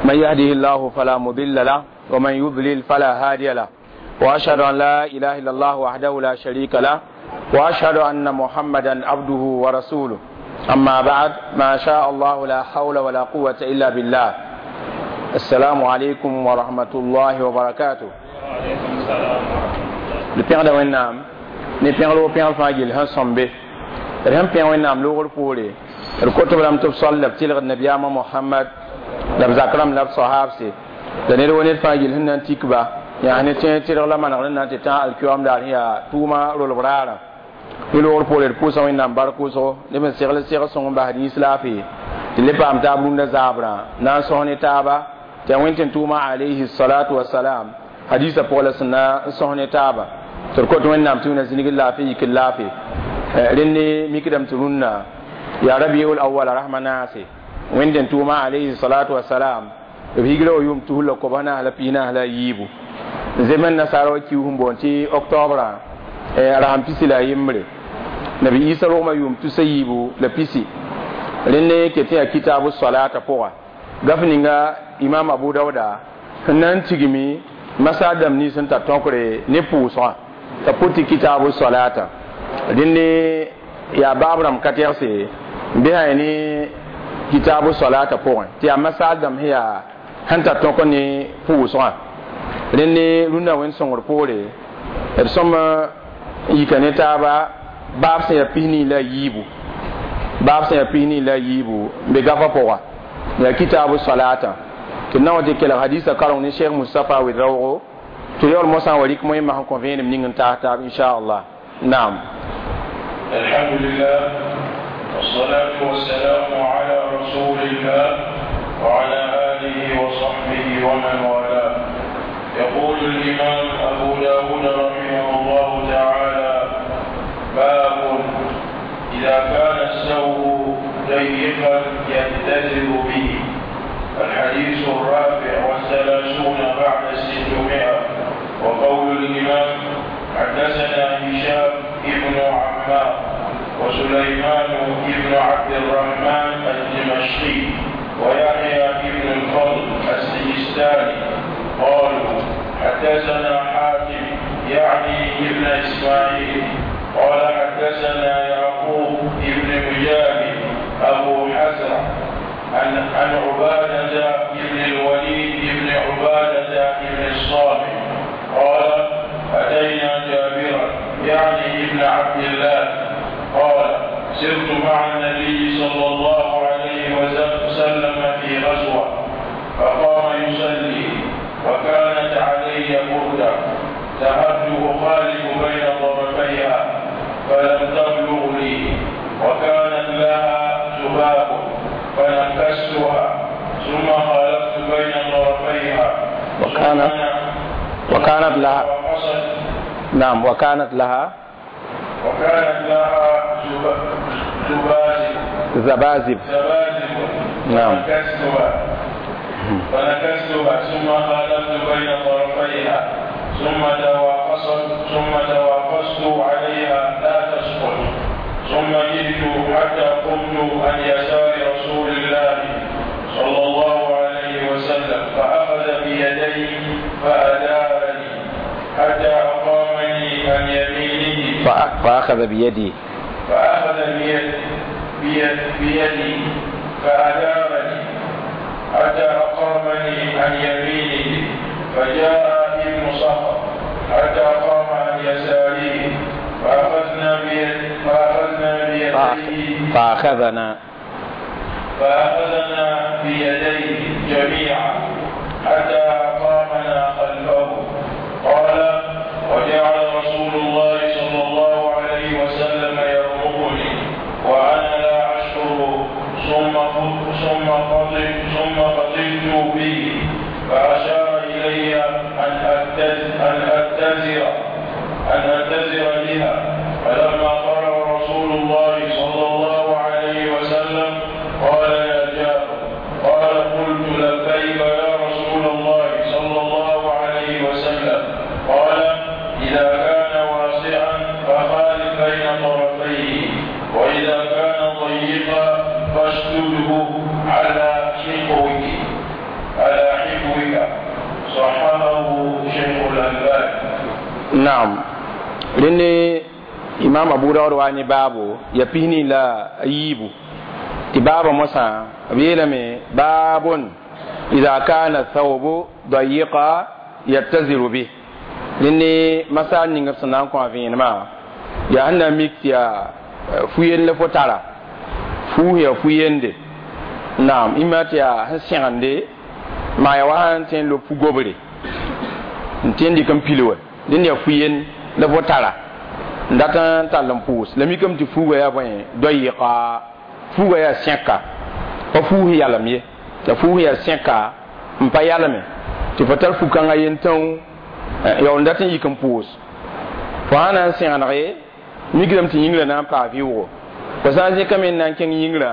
من يهده الله فلا مضل له ومن يضلل فلا هادي له، وأشهد أن لا إله إلا الله وحده لا شريك له، وأشهد أن محمدا عبده ورسوله. أما بعد، ما شاء الله لا حول ولا قوة إلا بالله. السلام عليكم ورحمة الله وبركاته. D pẽgda Wẽnnaam ne pẽgr wo pẽgr fãa gill sẽn sõmbe. D sẽn pẽ Wẽnnaam loogr poore, d kot b rãmb tɩ b soal la b tɩlgd nabiyaamã Mohamad la b zak rãmb la b sahaabse la ned wo ned fãa gill sẽn na n tik ba yaa ne tẽeg tɩrg la manegr n na n tɩ tã alkiyoam daar sẽn yaa tʋʋmã rolb raarã. Ne loogr poore d pʋʋsa Wẽnnaam bark wʋsgo neb n segl segl sõng n bas rĩis laafɩ tɩ le paam taab rũndã zaabrã na n sõs ne taaba tɩ yaa Wẽn tɩ n tʋʋmã alayhi salatu wasalam hadisa pʋgã la sẽn na n sõs ne taaba. Tɩ d kot Wẽnnaam tɩ wẽna zĩnigd laafɩ yikd laafɩ. Rẽnd mikdame tɩ rũnnã yaa rabiul awala rasmã naase Wẽnd n tʋʋmã alayhi salatu wasalam b higra wa yʋʋm 2043. Zemen nasaara wa kiu sẽn boond tɩ octobrã rasem 21. Nabi Isa rogmã yʋʋm 320. Rẽnd ket tɩ yaa kitabu salata pʋga gaf ninga imam Abu Dauda sẽn na n tigmi masal dãmb nins sẽn tar tõkre ne pʋʋsgã t'a pʋt tɩ kitabu salata. Rẽnd yaa baab rãmb ka tɛgse n bɩsa ne kitabu salata pʋgẽ tɩ yaa masal dãmb sẽn yaa sẽn tar tõk ne pʋʋsgã. Rẽnd rũndã wẽnd sõngr poore d sõm yika ne taaba baab sẽn yaa 44, baab sẽn yaa 44 n be gafã pʋga yaa kitabu salata. Tɩ d na wa tɩ kelg hadisa kareng ne Cheikh Mustapha Wedraoogo tɩ yaool mosã wa rɩk moẽmã sẽn kõ vẽenem ning n taas taab inchallah. Naam. الحمد لله والصلاة والسلام على رسول الله وعلى آله وصحبه ومن والاه. يقول الإمام أبو داود رحمه الله تعالى: باب إذا كان الثوب ضيقا يتزر به. الحديث 634. وقول الإمام: حدثنا هشام ابن عمار وسليمان ابن عبد الرحمن الدمشقي ويحيى ابن الفضل السجستاني قالوا: حدثنا حاتم يعني ابن إسماعيل قال: حدثنا يعقوب ابن مجاهد أبو حزرة عن عبادة ابن الوليد ابن عبادة ابن الصامت قال: أتينا جابرا يعني ابن عبد الله قال: سرت مع النبي صلى الله عليه وسلم في غزوة فقام يصلي وكانت علي بردة ذهبت أخالف بين طرفيها فلم تبلغ لي، وكانت لها ذباب فنكستها ثم خالفت بين طرفيها. وكانت لها نعم وكانت لها زبازب. نعم. فنكستها ثم خالفت بين طرفيها ثم تواقصت عليها لا تسقط، ثم جئت حتى قمت عن يسار رسول الله صلى الله عليه وسلم فأخذ بيدي فأدارني حتى أقامني عن يمينه. فأخذ بيدي فأدارني حتى أقامني عن يمينه، فجاء ابن صخر حتى قام عن يساره فأخذنا بيديه جميعا حتى أقامنا خلفه. قال: وجعل رسول الله صلى الله عليه وسلم يرمقني وأنا لا أشعر، ثم فطنت به فأشار إلي أن أتزر بها. فلما قرأ رسول الله صلى الله عليه وسلم قال: يا جابر. قال: قلت: لبيك يا رسول الله Naam, rẽnd imam Abu Daud wa ne baabo ya pisni la a yiibu tɩ baaba mosã b yeelame baabun ida kana thawbu dayiqa yattaziru bih. Rẽnd masaal ning b sẽn na n kõ a vẽenemã yaa sẽn na n mik tɩ yaa fu-yend la fo tara fuus yaa fu-yende. Naam, ĩmma tɩ yaa sẽn sẽgende maa yaa wa sẽn tõe n lob fu-gobre n tõe n dɩk n pil wa rẽnd yaa fu-yend la fo tara n dat n tall n pʋʋs la mikame tɩ fuuga yaa bõe doyɩka fuuga yaa sẽka pa fuus yalem ye la fuus yaa sẽka n pa yalme tɩ fo tar fu-kãngã yen tãoo yaool n dat n yik n pʋʋs fo sã na n sẽgenege mikdame tɩ yĩngrã na n paa vɩʋʋgo fo sã n zẽkame n na n kẽng yĩngrã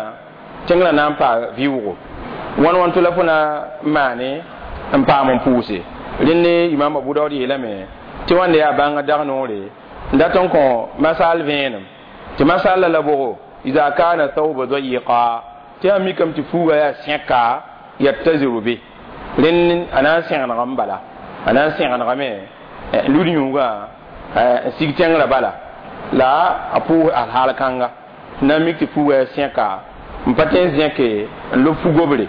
tẽngrã na n paa vɩʋʋgo wãn wãn tɩ la fo na n maane n paam n pʋʋse. Rẽnd imam Abu Daood yeelame tɩ wãnda yaa bãnga dag noore n dat n kõ masaal vẽenem tɩ masaal la bogo ida kana thawba dayiqa tɩ yaa mikame tɩ fuuga yaa sẽka yattaziru be rẽnd a na n sẽgenegame bala a na n sẽgenegame n lud yũugã n sig tẽngrã bala la a pʋʋs alhaal kãnga n na n mik tɩ fuuga yaa sẽka n pa tõe n zẽke n lob fu-gobre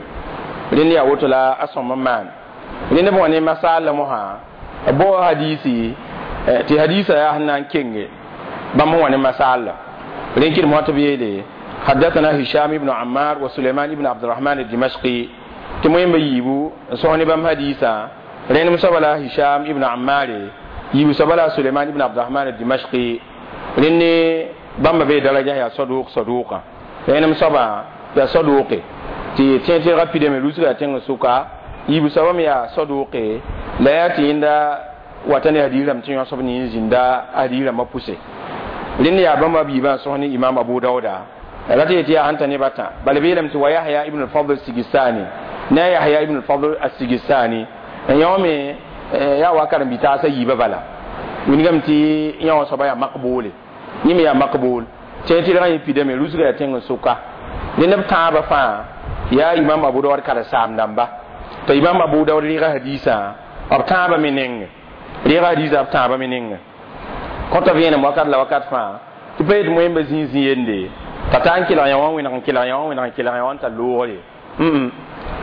rẽnd yaa woto la a sõm n maan rẽnd b wã ne masaal la mosã b bao hadiisi tɩ hadiisa yaa sẽn na n kenge bãmb sẽn wa ne masaal la rẽn kɩdem wã tɩ b yeele حدثنا هشام بن عمار وسليمان بن عبد الرحمن الدمشقي tɩ moẽmba yiibu n sõs ne bãmb hadiisã rẽnem soaba la Hisham ibn Ammar yiibu soaba la Suleiman ibn Abdurrahman al-Dimashqi rẽnd bãmba bee daraja yaa saduq saduqa rẽnem soaba yaa saduqe tɩ tẽeg-tẽegã pidame rusga tẽng sʋka yiibu soaba me yaa saduqe la yaa tɩ yẽnda wata ne hadiis rãmb tɩ yõsb ne zĩnda hadiis rãmbã pʋse rẽnd yaa bãmba b yiibã n sõs ne imam Abu Dauda la tɩ yetɩ yaa sẽn ta nebã tã bala b yeelame tɩ wa Yahya ibn al-Fadl Sigisani ne Yahya ibn al-Fadl as-Sigisani n yõ me yaa wa karen-bi-taasã yiibã bala wilgame tɩ yõ soaba yaa makbuule yẽ me yaa makbuul tẽeg-tɩrgã yẽ pidame rusga yaa tẽng sʋka rẽnd b tãabã fãa yaa imam Abu Daud karen-saam dãmba t'a imam Abu Daud rɩɩga hadiisã b tãabã me nenge rɩɩga hadiisã b tãabã me nenge kõta vẽenem wakat la wakat fãa tɩ pa yet moẽmba zĩig zĩ yende t'a taa n kelg yã wã wẽneg n kelg yã wã wẽneg n kelg yã wã n tar loogre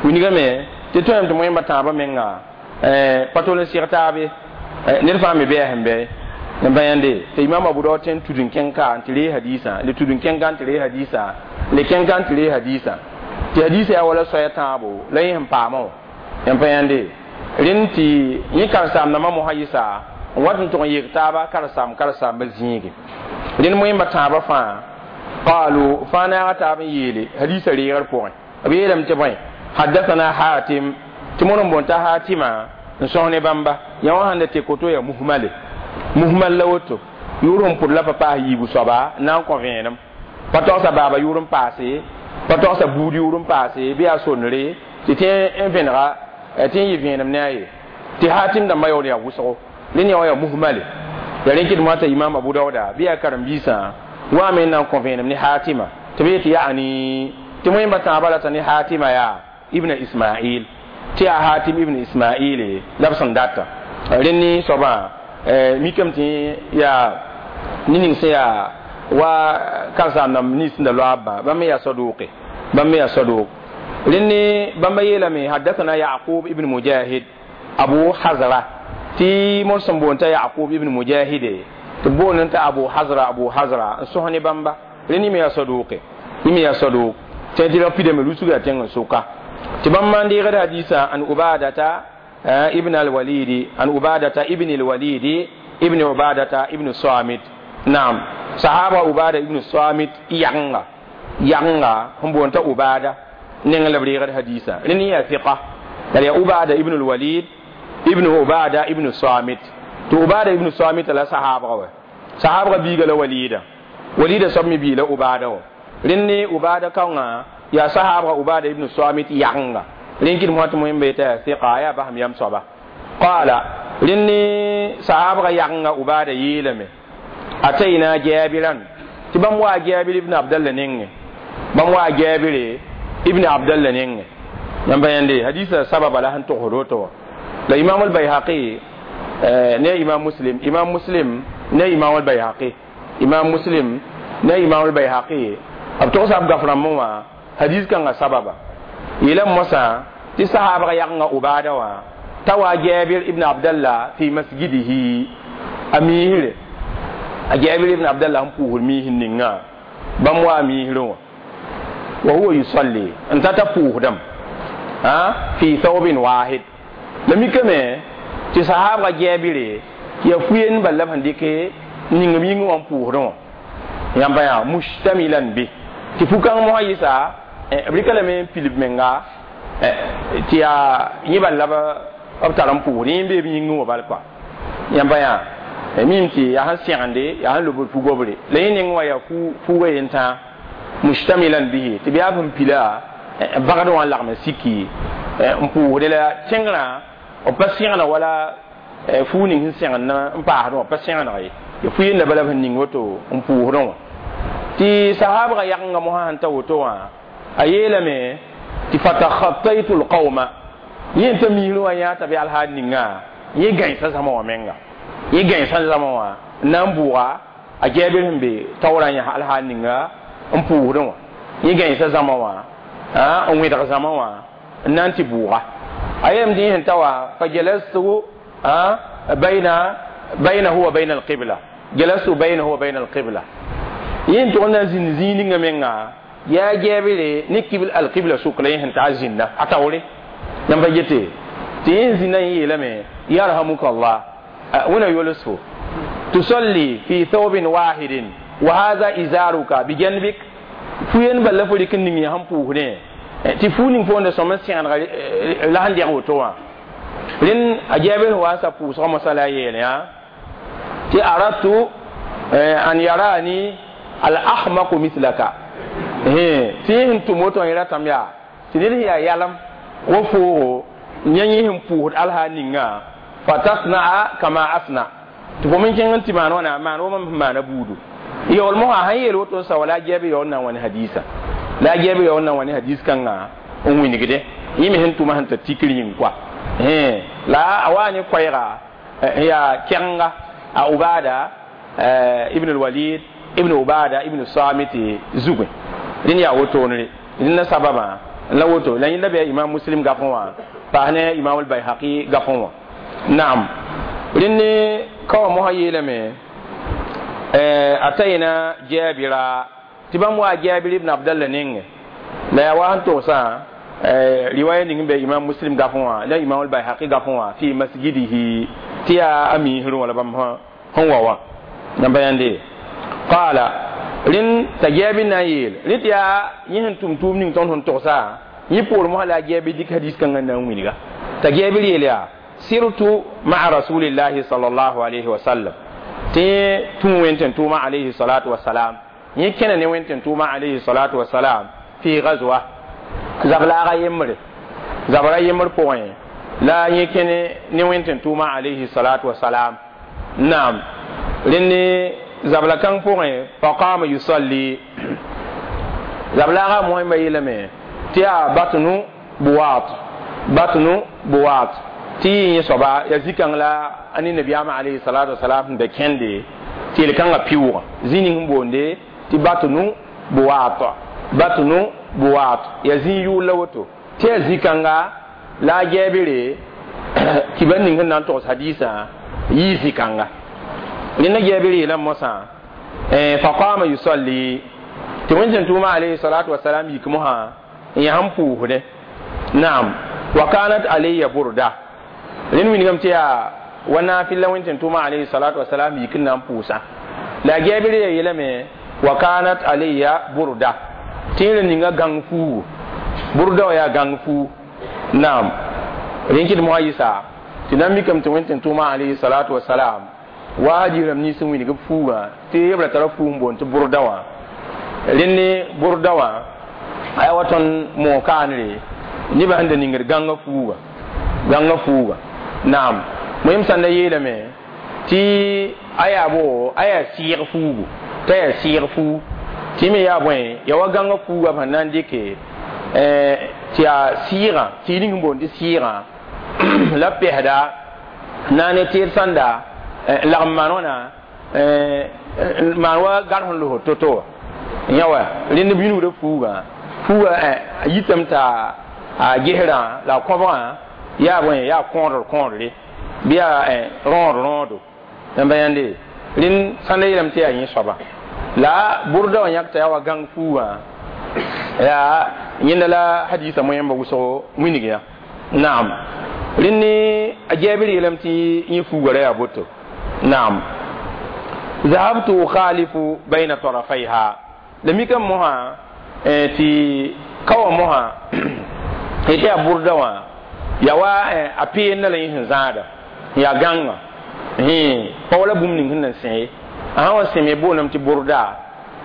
wilgame tɩ tõem tɩ moẽmba tãabã menga pa tol n seg taabe ned fãa me bɩ a sẽn bɩ n pa yãnde tɩ imam Abu Daud tõe n tud n kẽng ka n tɩ ree hadiisã le tud n kẽng ka n tɩ ree hadiisã le kẽng ka n tɩ ree hadiisã tɩ hadiisã yaa wala soaya tãabo la yẽ sẽn paamã wã n pa yãnde rẽnd tɩ yẽ karen-saam-dãmbã mosã yɩsa n wat n tʋg n yek taaba karen-saam karen-saambã zĩige rẽnd moẽmba tãabã fãa qalu fãa naaga taab n yeele hadiisã reegr pʋgẽ b yeelame tɩ bõe haddathana Hatim tɩ mõr n boon t'a Hatima n sõs ne bãmba yã wã sãn da tɩ koto yaa muhmale muhmal la woto yʋʋr sẽn pʋd la pa paas yiibu soaba n na n kõ vẽenem pa togsa baaba yʋʋr n paase pa togsa buud yʋʋr n paase bɩ yaa sondre tɩ tẽ n vẽnega tɩ n yɩ vẽenem ne a ye tɩ Hatim dãmbã yaool yaa wʋsgo rẽnd yã wã yaa muhmale yaa rẽn kɩdem wã t'a imam Abu Dauda bɩ yaa karen-biisã wa me n na n kõ vẽenem ne Hatima tɩ b yetɩ yaani tɩ moẽmba tãabã rata ne Hatima yaa ibn Ismail tɩ yaa Hatim ibn Ismail la b sẽn data rẽnd ne soabã mikame tɩ yaa ne ning sẽn yaa wa karen-saam dãmb nins sẽn da loabbã bãmb me yaa saduqe bãmb me yaa saduq rẽnd ne bãmba yeelame haddathana Yaqub ibn Mujahid Abu Hazra tɩ mõr sẽn boon t'a Yaqub ibn Mujahide tɩ boond t'a Abu Hazra Abu Hazra n sõs ne bãmba rẽnd yẽ me yaa saduqe yẽ me yaa saduq tɩ tɩ ra pidame rusga tẽng n sʋka tɩ bãmb maan deegd hadiisã an Ubadata ibn al-Walidi an Ubadata ibn al-Walidi ibn Ubadata ibn Samit naam sahaba Ubada ibn Samit yagenga yagenga sẽn boon t'a Ubada neng la b reegd hadiisã rẽnd yaa fiqa la yaa Ubada ibn al-Walid ibn Ubada ibn Samit tɩ Ubada ibn Samit la sahabga wa sahabga biiga la Walida Walida soab me bii la Ubada wa rẽnd ne Ubada kaongã yaa sahabga Ubada ibn Samit yagenga rẽn kɩdem wã tɩ moẽmba yetã yaa fiqa yaa basem yam soaba qaala rẽnd ne sahabga yagenga Ubada yeelame atayna Jabiran tɩ bãmb waa Jabir ibn Abdallah nengẽ bãmb waa Jabire ibn Abdallah nengẽ yãmb pa yãnde hadiisã sababa la sẽn togsd woto wa la imam al-Bayhaqi Ne Imam Muslim, Imam Muslim ne Imam al-Bayhaqi, Imam Muslim ne Imam al-Bayhaqi b togsa b gaf rãmbẽ wã hadis kãngã sababa yeelame mosã tɩ sahaabga yagengã Ubada wã t'a wa Jabir ibn Abdallah fi masjidihi a miisre a Jabir ibn Abdallah n pʋʋsd miisr ninga bãmb wa a miisrẽ wã wa huwa yusalli n tata pʋʋsdame fi thawbin wahid la mikame tɩ sahaabga Jabire tɩ yaa fu-yen bal la b sẽn dɩke ning b yĩngẽ wã n pʋʋsdẽ wã yãmba yaa mustamilan bi tɩ fu-kãng mosã yɩsa b rɩka lame n pilb menga tɩ yaa yẽ bal la b tar n pʋʋsd yẽ n bee b yĩngẽ wã bal kɔa yãmba yaa mim tɩ yaa sẽn sẽgende yaa sẽn lobd fu-gobre la yẽ neng wã yaa fuuga yen-tãa mustamilan bihi tɩ b yaa sẽn pila bagd wã n lagm n siki n pʋʋsde la tẽngrã b pa sẽgna wala fuu ning sẽn sẽgend n paasdẽ wã pa sẽgeneg ye ya fu yenda bala b sẽn ning woto n pʋʋsdẽ wã tɩ sahaabga yagenga mosã sẽn ta woto wã a yeelame tɩ fatakhataytu lqauma yẽ t'a miisrẽ wã yã t'a bɩ alhaal ninga yẽ gãensa zãma wã menga yẽ gãensa zãma wã n na n bʋʋga a Jabir sẽn be taoorã yãs alhaal ninga n pʋʋsdẽ wã yẽ gãensa zãma wã n wẽdg zãma wã n na n tɩ bʋʋga a yeelame tɩ yẽ sẽn ta wã fa jalastu baynahu wa bayna alqibla jalastu baynahu wa bayna alqibla yẽ n tʋg n na n zĩnd zĩig ninga menga yaa Jabire ne alqibla sʋk la yẽ sẽn ta zĩnda a taoore yãmb pa yete tɩ yẽ zĩnda yẽ yeelame yarhamuka Allah wẽna yols fo tusalli fi thawbin wahidin wa hadha izaruka bijanbik fu-yen bal la fo rɩk n ning yã sẽn pʋʋsdẽ tɩ fuu ning fo n da sõm n sẽgenega la sẽn dɛg woto wã rẽnd a Jabir sẽn wa n sa pʋʋsgã mosã la a yeel yã tɩ aradtu an yarani al ahmaqu mithlaka tɩ yẽ sẽn tʋm woto yẽ ratame yaa tɩ ned sẽn yaa yalem wa foogo yã yẽ sẽn pʋʋsd alhaal ninga fa tasnaa kama asna tɩ fo me kẽng n tɩ maan wãna maan wa mam sẽn maana buudu yaool mosã sãn yeel woto n sa wa la a Jabir yaool na n wa ne hadiisã la a Jabir yaool na n wa ne hadiis kãngã n wĩnigde yẽ me sẽn tʋma sẽn tar tikr yĩng koa la a wa ne koɛɛga n yaa kɛgenga a Ubada ibn al-Walid ibn Ubada ibn Samit zugẽ rẽnd yaa wotoonre rẽnd sababã la woto la yẽnda bɩ Imam Muslim gafẽ wã paas ne Imam al-Bayhaqi gafẽ wã naam rẽnd ka wã mosã yeelame atayna Jabira tɩ bãmb wa Jabir ibn Abdallah nengẽ la yaa wa sẽn togsã riwaya ning n be Imam Muslim gafẽ wã la Imam al-Bayhaqi gafẽ wã fi masjidihi tɩ yaa a miisrẽ wã la bãmb sẽn wa wã yãmba yãnde qala rẽnd t'a Jabir na n yeel rẽ tɩ yaa yẽ sẽn tʋm tʋʋm ning tõnd sẽn togsa yẽ poor mosã la a Jabir dɩk hadis kãngã na n wilga t'a Jabir yeel yaa sirtu maa rasulillahi sallallahu alayhi wa sallam tɩ tũ wẽn tʋʋma alayhi salatu wasalam yẽ kẽna ne wẽn tʋʋma alayhi salatu wasalam fi gazwa zablaaga yembre zabra yembr pʋgẽ la yẽ kẽne ne wẽn tʋʋma alayhi salatu wasalam naam rẽnd zabla kãng pʋgẽ faqama yusalli zablaaga moẽmba yeelame tɩ yaa batnu buwaat batnu buwaat tɩ yẽ soaba yaa zĩ-kãng la a ne nabiyaamã alayhi salatu wasalam sẽn da kẽnde tɩ yel-kãngã pɩʋʋgã zĩ ning sẽn boonde tɩ batnu buwaat batnu buwaat yaa zĩ yʋʋl la woto tɩ yaa zĩ-kãnga la a Jabire kibar ning sẽn na n togs hadiisã yɩɩ zĩ-kãnga rẽnda Jabir yeelame mosã faqama yusalli tɩ wẽn tʋʋma alayhi salatu wasalam yik mosã n yaa sẽn pʋʋsdẽ naam wa kanat alayya burda rẽnd wilgame tɩ yaa wa naafɩl la wẽn tʋʋma alayhi salatu wasalam yik n na n pʋʋsã la a Jabir ya yeelame wa kanat alayya burda tɩ yẽ ninga gãng fuugu burda wã yaa gãng fuu naam rẽn kɩd mosã yɩsa tɩ na n mikame tɩ wẽn tʋʋma alayhi salatu wasalam wa hadiis rãmb nins n wilg b fuugã tɩ b ra tara fuug n boond tɩ burda wã rẽnd burda wã a yaa wa tõnd moog kaanre nebã sẽn da ningd gãngã fuuga gãngã fuuga naam moyem sãn da yeelame tɩ a yaa bo a yaa sɩɩg fuugu t'a yaa sɩɩg fuu tɩ me yaa bõe yaa wa gãngã fuuga b sẽn na n dɩke tɩ yaa sɩɩgã tɩ ning n boond tɩ sɩɩgã la pɛsda Na ne tɩɩd sãnda lagm maan wãna maan wa gar sẽn los to-to yã wa rẽnd b yũnigda fuugã fuuga yitame t'a a gesrã la a kõbgã yaa bõe yaa kõodr kõodre bɩ yaa rõod rõodo n ba yãnde rẽnd sãnda yeelame tɩ yaa yẽ soaba la burda wã yãk t'a yaa wa gãng fuugã yaa yẽnda la hadisa moẽmba wʋsgo wilg yã naam rẽnd ne a jɛɛbr yeelame tɩ yẽ fuuga ra yaa boto naam ذهبت أخالف بين طرفيها لم يكن مها تي كوا مها تي burda wã ya wa a peen la yẽ sẽn zãada yaa gãnga pa wala bũmb ning sẽn na n sẽ ye a sã wa sẽme booname tɩ burda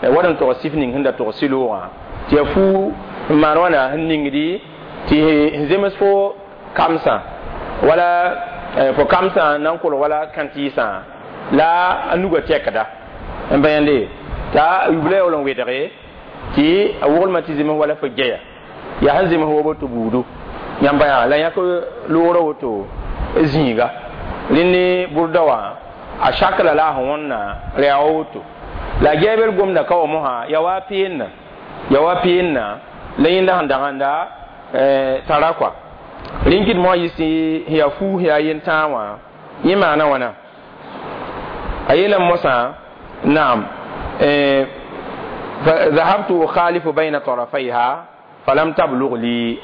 wad n tog sif ning sẽn da tog sɩloogã tɩ ya fuu n maan wãna sẽn ningdi tɩ sẽn zems fo kamsã wala fo kamsã na n kolg wala kãntɩɩsã la a nuga tɛkda n ba yãnde t'a yubla yaool n wedge tɩ a woglmã tɩ zems wala fo geya yaa sẽn zems wa woto buudu yãmba yaa la yãk loogrã woto zĩiga rẽnd ne burda wã a sakla la a sẽn wõnna ra yaa wa woto la gɛɛbr gomda ka wa mosã yaa wa peenna yaa wa peenna la yẽnda sẽn dagenda tara kɔa rẽn kɩd mosã yɩs sẽn yaa fuus yaa yentãag wã yẽ maana wãna a yeelame mosã naam ذهبت أخالف بين طرفيها فلم تبلغ لي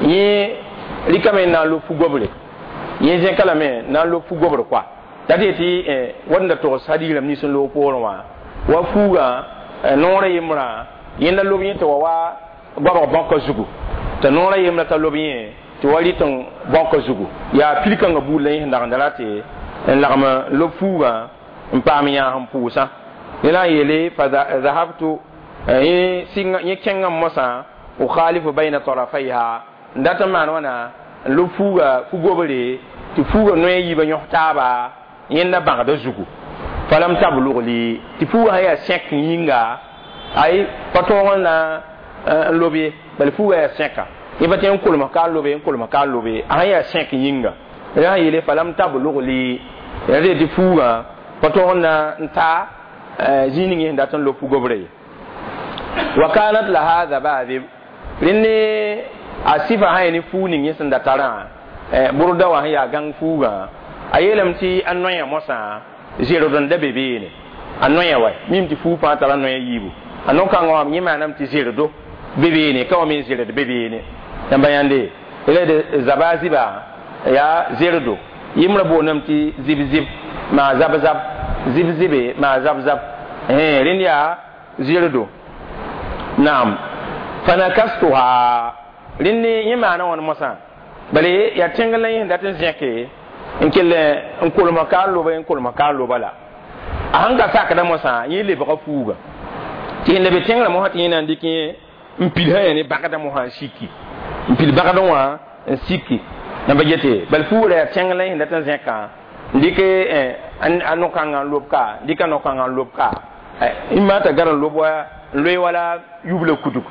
yẽ rɩkame n na n lob fu-gobre yẽ zẽka lame na n lob fu-gobr koa la tɩ yetɩ wad n da togs hadiis rãmb nins n loog poorẽ wã wa fuugã noorã yembrã yẽnda lob yẽ tɩ wa wa goabg bãkã zugu t'a noorã yembrã t'a lob yẽ tɩ wa rɩt n bãkã zugu yaa pil-kãngã buud la yẽ sẽn dagenda ra tɩ n lagm n lob fuugã n paam yãas n pʋʋsã yẽ la n yeele fa zahabtu yẽ kẽngã mosã ukhalifu bayna tarafayha n dat n maan wãna n lob fuuga fu-gobre tɩ fuuga noe yiibã yõs taaba yẽnda bãgda zugu falam tablug li tɩ fuuga sã yaa sẽk yĩnga ay pa tõog n na n lob ye bala fuuga yaa sẽka yẽ pa tẽ n kolms ka n lobe n kolms ka n lobe a sã yaa sẽk yĩnga rẽ sã yeele falam tablug li ra tɩ fuugã pa tõog n na n ta zĩig ning yẽ sẽn dat n lob fu-gobre ye wa kanat laha zabazib rẽnd ne a sɩfa sã yaa ne fuug ning yẽ sẽn da tarã burda wã sẽn yaa gãng fuugã a yeelame tɩ a noyã mosã zerd n da be beene a noyã wa mim tɩ fuug fãa tara noyã yiibu a no-kãngã wã yẽ maaname tɩ zerdo be beene ka wa me zerd be beene yãmba yãnde d zabaziba yaa zerdo yembrã boondame tɩ zib-zib maa zab-zab zib-zibe maa zab-zab rẽnd yaa zerdo naam fanakastuha rẽnd yẽ maana wãn mosã bala yaa tẽng la yẽ sẽn dat n zẽke n kell n kolmã ka n loba n kolmã ka n loba la a sẽn ka sakda mosã yẽ lebga fuuga tɩ sẽn da be tẽngrã mosã tɩ yẽ na n dɩk yẽ n pil sã yaa ne bagdã mosã n siki n pil bagdã wã n siki n ba yete bala fuugrã yaa tẽng la yẽ sẽn dat n zẽkã n dɩk a no-kãngã n lob ka n dɩk a no-kãngã n lob ka n maa t'a gar n lob wa n loe wala yubla kudug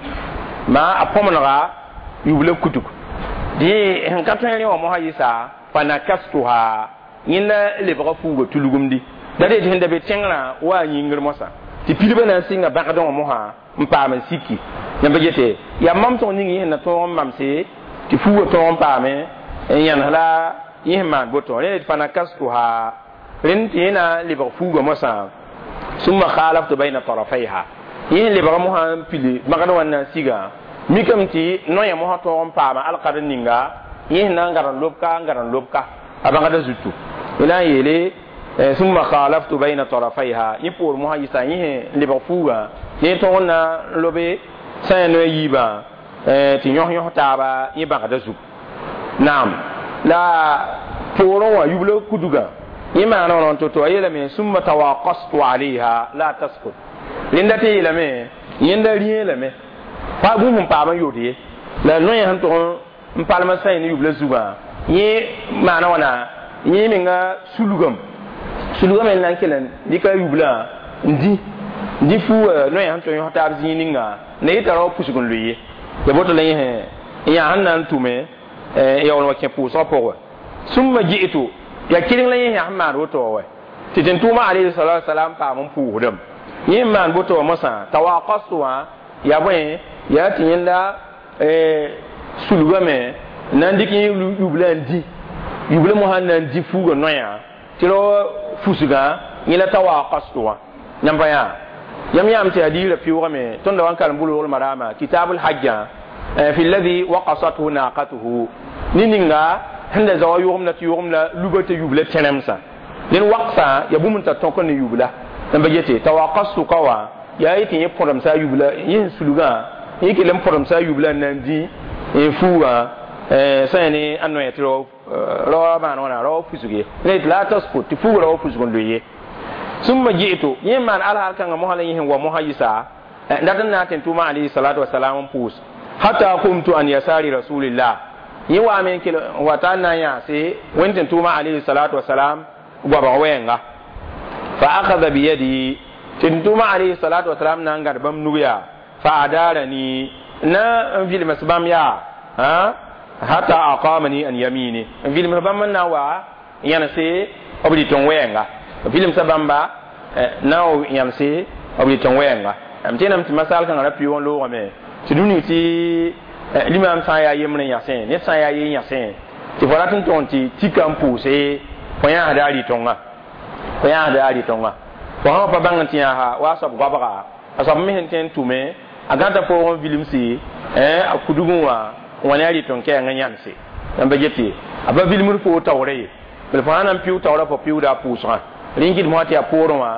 maa a põmnega yubla kudug dẽ sẽn ka tõe rẽ wã mosã yɩsa fanakastuha yẽnda lebga fuuga tulgumdi da dee tɩ sẽn da be tẽngrã wa a yĩngr mosã tɩ pilbã na n sɩnga bãgdẽ wã mosã n paam n siki yãmba gete yaa mamsg ning yẽ sẽn na tõog n mamse tɩ fuuga tõog n paame n yãnes la yẽ sẽn maan boto rẽ fanakastuha rẽnd tɩ yẽ na n lebg fuuga mosã summa khalaftu bayna tarafayha yẽ lebga mosã n pili bãgd wã na n siga mikame tɩ noyã mosã tõog n paama alkad ninga yẽ sẽn na n gad n lobka n gad n lobka a bãgda zutu yẽ na n yeele summa khalaftu bayna tarafayha yẽ poor mosã yɩsa yẽ sẽn lebg fuugã yẽ tõog n na n lobe sã yaa noya yiibã tɩ yõs yõs taaba yẽ bãgda zug naam la poorẽ wã yubla kudugã yẽ maana wã to-to a yeelame summa tawaqastu alayha la taskut rẽnda tɩ yeelame yẽnda rĩe lame pa bũmb sẽn paam n yod ye la noyã sẽn tʋg n palma sã ne yubla zugã yẽ maana wãna yẽ menga sulgame sulgame n na n kell n dɩka yublã n dĩ n dĩ fuu noyã sẽn tʋg yõs taab zĩig ninga na yɩ tara wa pusg n lʋɩ ye ya boto la yẽ n yaa sẽn na n tʋme yaool wa kẽ pʋʋsgã pʋgẽ Summa ji'tu ya kɩreng la yẽ yãs n maan woto wa tɩ tẽn-tʋʋmã alayhi salatu wasalam paam n pʋʋsdem yẽ n maan boto wã mosã tawaqastu wã yaa bõe yaa tɩ yẽnda sulgame na n dɩk yẽ yubla n dĩ yubla mosã na n dĩ fuugã noyã tɩ rao fusgã yẽ la tawaqastu wã yãmb pa yaa yãmb yãam tɩ hadiisã pɩʋʋgame tõnd da wa n karem bulgl marama kitabul hajjã fi alladhi waqasathu naqatuhu ne ninga sẽn da zaoa yʋgemda tɩ yʋgemda luba tɩ yubla tẽnemsã ned waqsã ya bũmb n tar tõk ne yubla n ba yete tawaqastu ka wã yaa yetɩ yẽ põdemsa a yubla yẽ sẽn sulgã yẽ kell n põdemsa a yubla n na n dĩ n fuugã sã ya ne a noya tɩ raoa maan wãna raoa fusg ye la yetɩ la taskut tɩ fuuga raoa fusg n loe ye summa ji'tu yẽ maan alhaal kãngã mosã la yẽ sẽn wa mosã yɩsa dat n na n tɩ tʋʋma alayhi salatu wasalam n pʋʋs hatta qumtu an yasari rasulillah yẽ waame n kell n wa t'a n na n yãase wẽnd tɩ tʋʋma alayhi salatu wasalam goabg wɛɛnga fa akhadha biyadi tɩ tʋʋma alayhi salatu wasalam na n gãd bãmb nug yaa fa adarani na n vilms bãmb yaa hatta aqamani an yamini n vilms bãmb n na n wa yãnse b rɩtẽ wɛɛnga vilmsa bãmba na n yãnse b rɩtẽ wɛɛnga m tẽename tɩ masal kãngã ra pɩʋʋg n loogame tɩ dũni tɩ limam sã n yaa yembre n yãsẽ ned sã n yaa ye yãsẽ tɩ fo rat n tʋg tɩ tika n pʋʋse fo yãasda a rɩtõnga fo yãasda a rɩtõnga fo sã pa bãng n tɩ yãasa wa a soab goabga a soab me sẽn tõe n tʋme a gãta poog n vilimse a kudgẽ wã n wa ne a rɩtõng kɛɛng n yãnse yãmba gete a pa vilmd foo taoora ye bel fo sã na n pɩʋ taoora fo pɩʋʋda a pʋʋsgã rẽ n kɩt mosã tɩ yaa poorẽ wã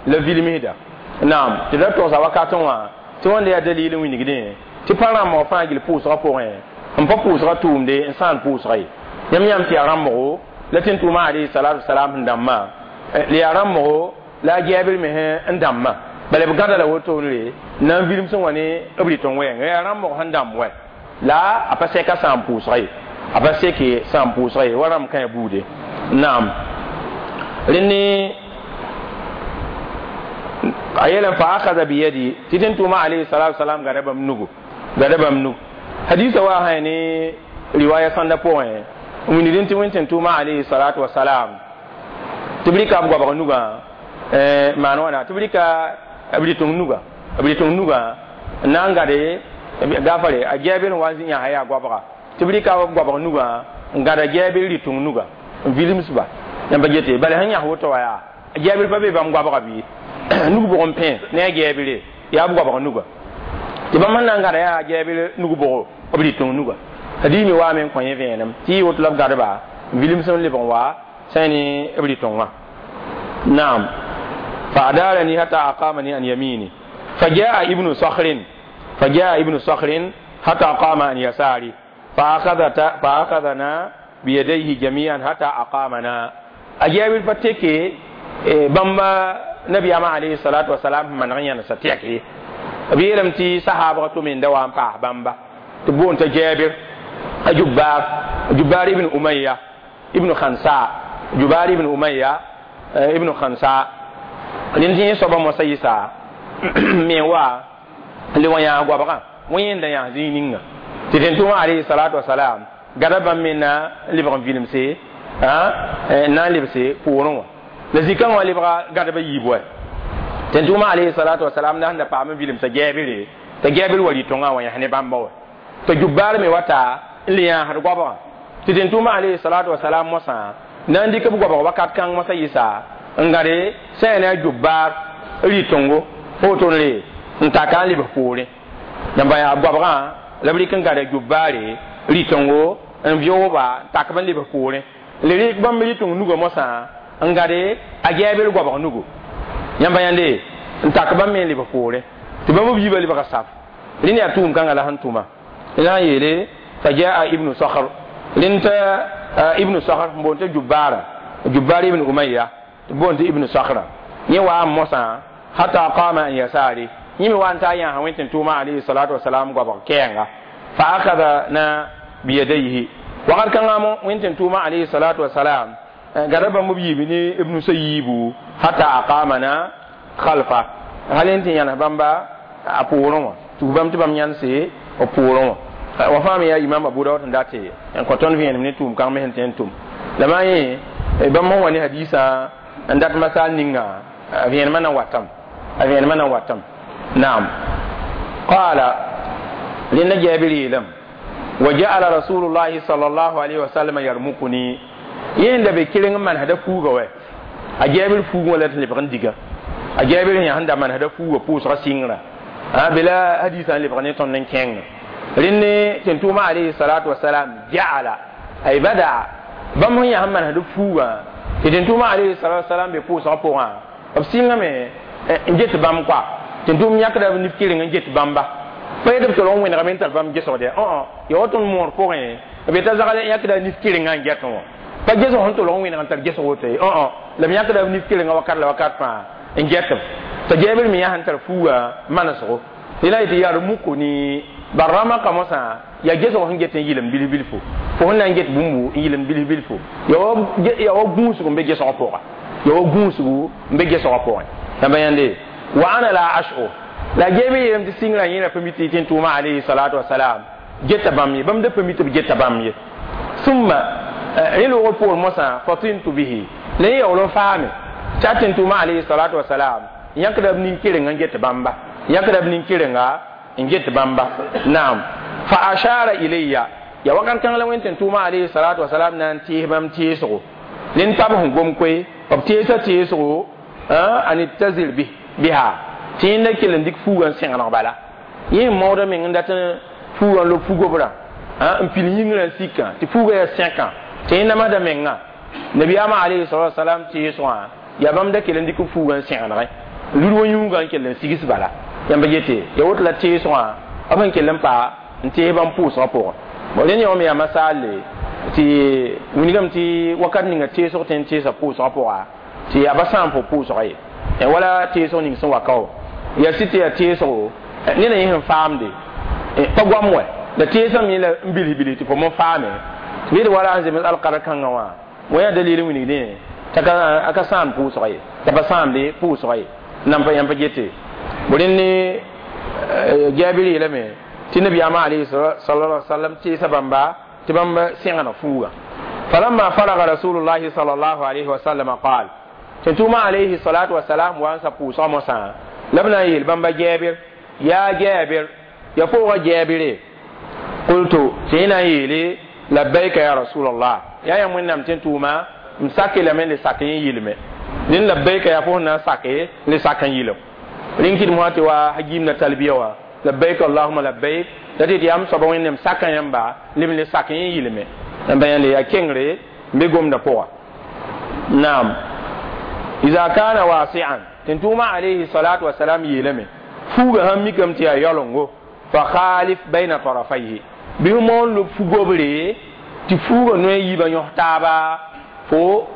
la vilmsda naam tɩ ra togsa wakatẽ wã tɩ wãnda yaa dalil n wilgdẽ tɩ pa rãmbg fãa gil pʋʋsgã pʋgẽ n pa pʋʋsgã tʋʋmde n sãan pʋʋsga ye yãmb yãmb tɩ yaa rãmbgo la tɩ n tʋʋma alayhi salatu wasalam sẽn dãmbã la yaa rãmbgo la a gɛɛbr me n dãmbã bala b gãda la wotone na n vilem sẽn wa ne b rɩtẽ wɛɛng yaa rãmbg sẽn dãmb wɛ la a pa sɛka sãam pʋʋsga ye a pa seke sãam pʋʋsga ye wa rãmb kãe buude naam rẽnd a yeelame fa akhadha biyadi tɩ tẽn tʋʋma alayhi salatu wasalam gada bãmb nugu gada bãmb nug hadisa wa sã ne riwaya sãnda pʋgẽ n wilgdẽ tɩ wẽn tẽn tʋʋma alayhi salatu wasalam tɩ b rɩka b goabg nugã maan wãna tɩ b rɩka b rɩtẽng nuga b rɩtẽng nugã n na n gade gafare a gɛɛbr n wa n yãsa yaa goabga tɩ b rɩka b goabg nugã n gada gɛɛbr rɩtẽng nuga n vilmsba yãmba gete bala sẽn yãs woto wa yaa gɛɛbr pa be bãmb goabga bɩ nug bʋg n pẽ ne a gɛɛbre yaa b goabg nuga tɩ bãmb sẽn na n gada yaa gɛɛbr nug bʋgo b rɩtẽng nuga hadiis me waame n kõ yẽ vẽenem tɩ yɩ woto la b gadba n vilms n lebg n wa sã ne b rɩtõngã naam fa adarani hatta aqamani an yamini fa jaa ibnu sakhrin fa jaa ibnu sakhrin hatta qama an yasari fa akhadhana biyadayhi jami'an hatta aqamana a gɛɛbr pa teke bãmba nabiyama alayhi salatu wasalam maneg yãnsa tɛke b yeelame tɩ sahaabg tʋm n da wa n paas bãmba tɩ boond t'a gɛɛbr a jubbar jubbar ibn umayya ibn khansa jubbar ibn umayya ibn khansa rẽnd tɩ yẽ soaba mosã yɩsa me wa le wa yãas goabgã wã yẽnda yãas zĩig ninga tɩ tẽn-tʋʋmã alayhi salatu wasalam gada bãmb me na n lebg n vilemse n na n lebse poorẽ wã la zĩ-kãngã wã lebga gãdba yiib wɛ tẽn-tʋʋmã alayhi salatu wasalam na sẽn da paam n vilemsa gɛɛbre t'a gɛɛbr wa rɩtõngã wã yãs ne bãmba wɛ t'a jubbaar me wata n le yãasd goabgã tɩ tẽn-tʋʋmã alayhi salatu wasalam mosã na n dɩk b goabg wakat kãng mosã yɩsa n gãde sã yaa ne a jubbaar rɩtõngo woto-re n taka n lebs poorẽ yãmba yaa goabgã la b rɩk n gãda jubbaare rɩtõngo n vɩʋʋba n tak b n lebs poorẽ le rɩk bãmb rɩtõng nugã mosã n gãde a gɛɛbr goabg nugu yãmba yãnde n tak bãmb me n lebs poorẽ tɩ bãmb b yiibã lebga saf rẽnd yaa tʋʋm kãngã la sẽn tʋma la sẽn yeele fa jaa ibnu sakhr rẽnd t'a ibnu sakhr n boond t'a jubbaara jubbaar ibn umayya tɩ boond tɩ ibnu sakhra yẽ waa n mosã hatta qama an yasari yẽ me wa n ta yãasa wẽn tɩ tʋʋma alayhi salatu wasalam goabg kɛɛnga fa akhadha biyadayhi wakat kãngã mo wẽn tɩ tʋʋma alayhi salatu wasalam gada bãmb b yiib ne b nusã yiibu hatta aqamana khalfa hal n tɩ yãnes bãmba a poorẽ wã tɩ bãmb tɩ bãmb yãnse b poorẽ wã wa fãa me yaa imam abu daud n date n kõ tõnd vẽenem ne tʋʋm kãng me sẽn tõe n tʋm La ma yẽ bãmb sẽn wa ne hadiisã n dat masal ninga a vẽenemã na watame, a vẽenemã na watame. Naam, qala rẽnda Jaabir yeelame: wa ja'ala rasulullahi sallallahu alaihi wasallam yarmukuni. Yẽ da be keleng n manesda fuuga wɛ a Jaabir fuugẽ wala tɩ lebg n diga a Jaabir yã sẽn da manesda fuuga pʋʋsga sɩngrã a bela hadiisã n lebg ne tõnd n kẽng rẽnd tɩ tʋʋma alayhi salatu wasalam ja'ala ay badaa bãmb sẽn yã sẽn manesd fuugã tɩ tẽn-tʋʋma alayhi salatu wasalam be pʋʋsgã pʋgã b sɩngame n get bãmb koa tẽn-tʋʋm yãkda b nif keleng n get bãmba pa yet b tol n wẽnegame n tar bãmb gesgd ya ya woto n moor pʋgẽ b yeta zagl yãkda nif kelengã n get wã pa gesg sẽn tolg n wẽneg n tar gesg woto ye la b yãkda b nif kelengã wakat la wakat fãa n get b t'a Jaabir me yã sẽn tar fuugã manesgo tɩ la yetɩ yarmuku ni barama kamosã ya gesg sẽn get n yɩlem bilf bilfo fo sẽn na n get bũmbu n yɩlem bilf bilfo ya wa gũusg n be gesgã pʋga, ya wa gũusgu n be gesgã pʋgẽ. Yãmba yãnde wa ana la ash'ur la Jaabir yeelame tɩ sɩngrã yẽra pa mi tɩ tẽn-tʋʋma alayhi salatu wasalam geta bãmb ye, bãmb da pa mi tɩ b geta bãmb ye. Summa rẽ loogr poor mosã fatintu bihi la yẽ yaool n faame tɩ a tẽn-tʋʋma alayhi salatu wasalam yãkda b nin-kelengã n get bãmba, yãkda b nin-kelenga n get bãmba. Naam, fa ashara ilayya ya wakat kãng la wẽn tẽn-tʋʋma alayhi salatu wasalam na n tɩɩs bãmb tɩɩsgo nen tab sẽn gom koe b tɩɩsa tɩɩsgo an ittazir biha tɩ yẽnda kell n dɩk fuugã n sẽgeneg bala yẽ n maooda meng n dat n fuugã n lob fugobrã n pil yĩngrã n sikã tɩ fuugã yaa sẽkã tɩ yẽ namsda mengã. Nabiyaamã alayhi salatu wasalam tɩɩsgã yaa bãmb da kell n dɩk fuugã n sẽgenegẽ lud wa yũugã n kell n sigs bala. Yãmba yete ya woto la tɩɩsgã b sẽn kell n pa n tɩɩs bãmb pʋʋsgã pʋgẽ. Bon, rẽnd yã me yaa masaalle tɩ wilgame tɩ wakat ninga tɩɩsg tõe n tɩɩsa pʋʋsgã pʋga tɩ yaa ba sãam fo pʋʋsga ye wala tɩɩsg ning sẽn wa ka ya sɩ tɩ yaa tɩɩsgo neda yẽ sẽn faamde pa goam wɛ la tɩɩsã me la n bilf bilf tɩ fo mo faame tɩ wala sẽn zems alkara kãngã wã wã yaa dalil n wilgdẽ t'a ka sãam pʋʋsga ye, t'a pa sãamde pʋʋsga ye nan pa yãmb pa gete bo. Rẽnd ne Jaabir yeelame tɩ nabiyaamã alayhi sallallahu alaihi wasallam tɩɩsa bãmba tɩ bãmb sẽgna fuuga. Falamma faraga rasulullahi sallallahu alayhi wasallam qaal tɩ tʋʋma alayhi salatu wasalam wa n sa pʋʋsga mosã la b na n yeel bãmba Jaabir: yaa Jaabir, ya fooga Jaabire. Qultu tɩ yẽ na n yeele: labbaika ya rasulallah, yaa yãmb Wẽnnaam tɩ n tʋʋma, m sake lame le sak yẽ yɩlme rẽnd labbaika yaa fo sẽn na n sake le sak n yɩlem rẽn kɩdem wã tɩ wa hagiimda talbiya wã labbaik allahuma labbaik la tɩ tɩ yaa m soaba Wẽnnaam saka yãmba lem le sak yẽ yɩlme. Yãmba yãnde yaa kengre n be gomdã pʋga. Naam, iza kana wasi'an tɩ tʋʋma alayhi salatu wasalam yeelame fuuga sãn mikame tɩ yaa yaolengo fa khalif bayna tarafayhi bɩ moon lob fugobre tɩ fuuga noe yiibã yõs taaba fo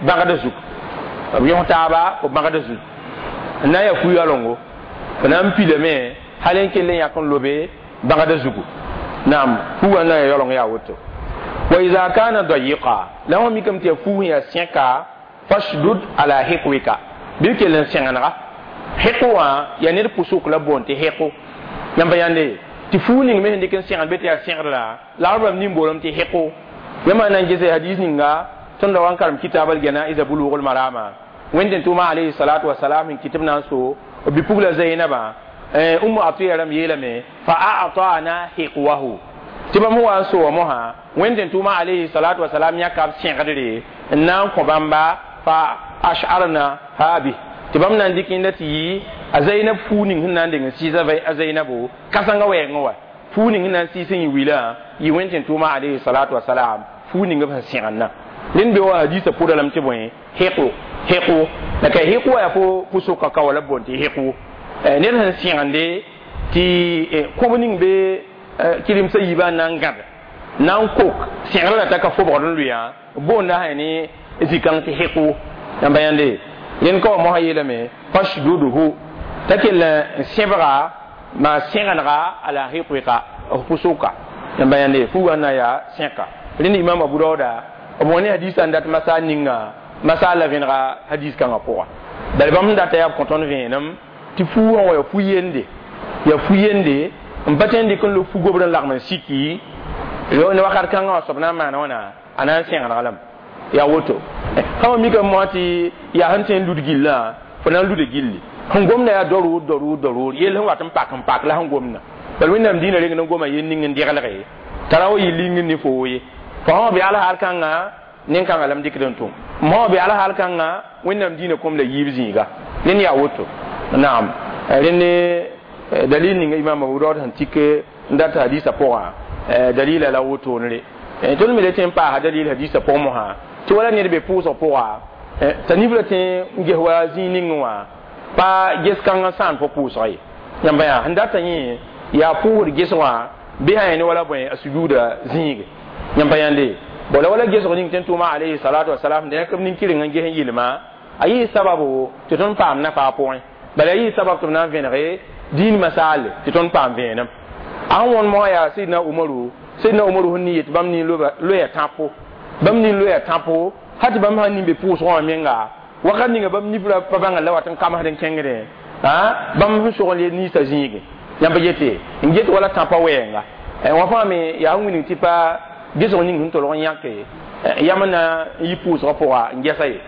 bãgda zug b yõs taaba fo bãgda zug n na n yaa fu-yaolengo fo na n pilame hal n kell n yãk n lobe bãgda zugu. Naam, fuugã n na n yaa yaooleng yaa woto. Wa iza kana dayiqa la wã mikame tɩ yaa fuug sẽn yaa sẽka fashdud ala hiqwika bɩ kell n sẽgenega hiqu wã yaa ned pʋsʋk la boond tɩ hiqu. Yãmba yãnde tɩ fuug ning me sẽn dɩk n sẽgend be tɩ yaa sẽgdra la b nin boolame tɩ hiqu. Yãmba na n gese hadis ninga tõnd da wa n karem kitab al-janaiza Bulugh al-Marama wẽnd tʋʋma alayhi salatu wasalam n kɩt b na n so b bi-pugla Zainaba Umu Atiya rãmb yeelame fa a'tana hiqwahu tɩ bãmb wa n so wa mosã wẽnd tʋʋma alayhi salatu wasalam yãka b sẽgdre n na n kõ bãmba fa ash'arna ha bi tɩ bãmb na n dɩk yẽnda tɩ yɩ a Zainab fuu ning sẽn na n deng n sɩɩs a Zainabo kãsengã wɛɛngẽ wa fuu ning sẽn na n sɩɩs n yɩ wilã yɩ wẽnd tʋʋma alayhi salatu wasalam fuu ning b sẽn sẽgendã. Rẽnd be wa hadiisã pʋda lame tɩ bõe hiqu hiqu la ka hiqu wa yaa fo pʋsʋka ka wala boond tɩ hiqu ned sẽn sẽgende tɩ kõb ning be kɩremsã yiibã n na n gãd na n kok sẽgrã la t'a ka fobgd n lʋɩã boonda sã ne zĩ-kãng tɩ hiqu. Yãmba yãnde rẽnd ka wa mosã yeelame fashdudhu t'a kell n sẽbga maa sẽgenega ala hiqwika f pʋsʋka. Yãmba yãnde fuugã n na yaa sẽka. Rẽnd Imam Abu Dauda b wã ne hadiisã n dat masa ninga masa la vẽnega hadis kãngã pʋga bala bãmb sẽn data yaa b kõ tõnd vẽenem tɩ fuugã wã yaa fu yende n pa tõe n dɩk n lob fu-gobr n lagm n siki Ne wakat kãngã wã soab na n maana wãna a na n sẽgdg lame yaa woto sã wa mikame moasã tɩ yaa sẽn tõe n lud gillã fo na n luda gilli sẽn gomda yaa daruur daruur daruur yell sẽn wat n pak n pak la sẽn gomda bal wẽnnaam dĩinã reng n goma yel ning n deglge t'a ra wa yɩ ling ne foo ye fo sã wa be alhaal kãnga nin-kãngã la m dɩkd n tʋm mosã wa be alhaal kãnga wẽnnaam dĩinã kom la yiib zĩiga ned yaa woto naam rẽnd dalil ninga imam Abu Dawud sẽn tik n dat hadisa pʋgã dalila la wotone re tõnd me le tẽ n paasa dalil hadisa pʋg mosã tɩ wala ned be pʋʋsg pʋga t'a nif la tẽ n ges wa zĩig ning wã pa ges kãng n sãan fo pʋʋsga ye yãmba yaa sẽn data yẽ yaa pʋʋsd ges wã bɩ sã ne wala bõe a sujuuda zĩige yãmba yãnde bo la wala gesg ning tɩ n tʋʋma alayhi salatu wasalam dẽ b nin-kɩreng n ges n yɩlma a yɩ sababu tɩ tõnd paam nafa a pʋgẽ bala a yɩ sabab tɩ b na n vẽnege dĩin masaale tɩ tõnd paam vẽenem a sẽn wõnd mosã yaa Sidna Umaru Sidna Umaru sẽn ni yet bãmb nin loya tãpo bãmb nin loya tãpo hal tɩ bãmb sã nin be pʋʋsgã wã menga wakat ninga bãmb nif la pa bãnga la wat n kamsd n kẽngdẽ bãmb sẽn sog n le niisa zĩige yãmb yete n get wala tãpã wɛɛnga wã fãa me yaa sẽn wilg tɩ pa gesg ning sẽn tolg n yãke yam na n yi pʋʋsgã pʋga n gɛsa ye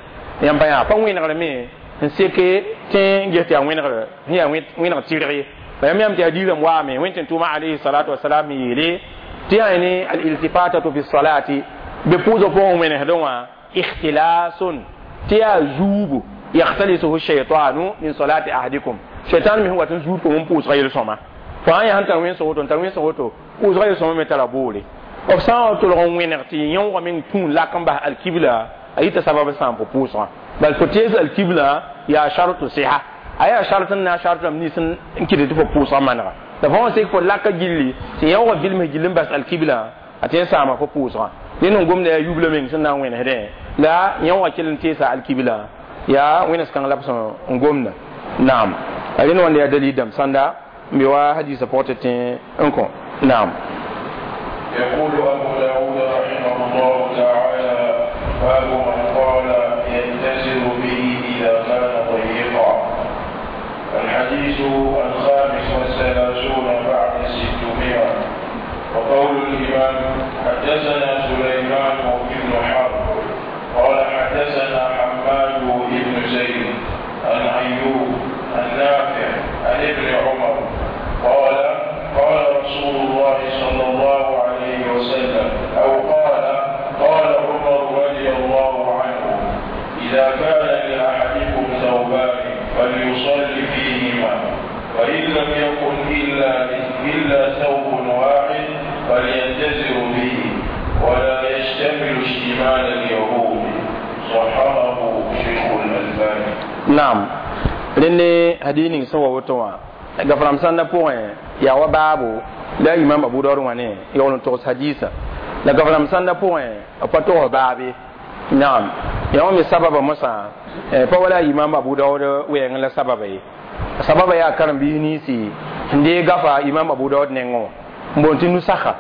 yãmba yaa pa wẽnegr me n seke tẽ n ges tɩ yaa wẽnegr sẽn yaa wẽneg tɩrg ye yãmb yãmb tɩ yaa diirame waame wẽn tɩ n tʋʋma alayhi salatu wasalam yeele tɩ yaa ne al-iltifatatu fi salati be pʋʋsg pʋgẽ wẽnesdẽ wã ikhtilasun tɩ yaa zuubu yaxtalisuhu shaitanu min salati ahadikum shaitan me sẽn wat n zuud fo n pʋʋsga yel-sõma fo sã n yaa sẽn tar wẽnsg woto n tar wẽnsg woto pʋʋsga yel-sõma me tara boore b sã n wa tolg n wẽneg tɩ yõogã meng tũ n lak n bas alkibla a yita sabab sãam fo pʋʋsgã bal fo tees alkibla yaa shartu siha a yaa shart n na shart rãmb nins n kɩt tɩ fo pʋʋsgã manega la fo wã sek fo laka gilli tɩ yõogã vilms gill n bas alkibla a tɩ n saama fo pʋʋsgã dẽnd n gomda yaa yubla meng sẽn na n wẽnesdẽ la yõogã kell n teesa alkibla yaa wẽnes kãng la b sẽn n gomda naam a rẽnd wãnda yaa dalil dãmb sãnda n be wa hadisa pʋgẽ tɩ tẽ n kõ naam. يقول أبو داود رحمه الله تعالى باب من قال يتزر به إذا كان ضيقا. الحديث 635 بعد 600. وقول الإمام حدثنا سليمان بن حرب قال حدثنا حماد بن زيد عن أيوب عن نافع عن ابن عمر قال قال رسول الله صلى الله عليه وسلم أو قال قال عمر رضي الله عنه إذا كان لأحدكم ثوبان فليصلي فيهما وإن لم يكن إلا ثوب واحد فليتزر به ولا يشتمل اشتمال اليهود. صححه شيخ الألباني. نعم لأن هديني سوى وتوا gafram sãnda pʋgẽ yaa wa baabo la imam Abu Dawud wã ne yaool n togs hadisa la gafram sãnda pʋgẽ b pa togs baabe naam yaa wã me sababa mosã pa wala imam Abu Dawud wɛɛngẽ la sababa ye sababa yaa karen-biis ninsi n dee gafa imam Abu Dawud nengẽ wã n boond tɩ nusaka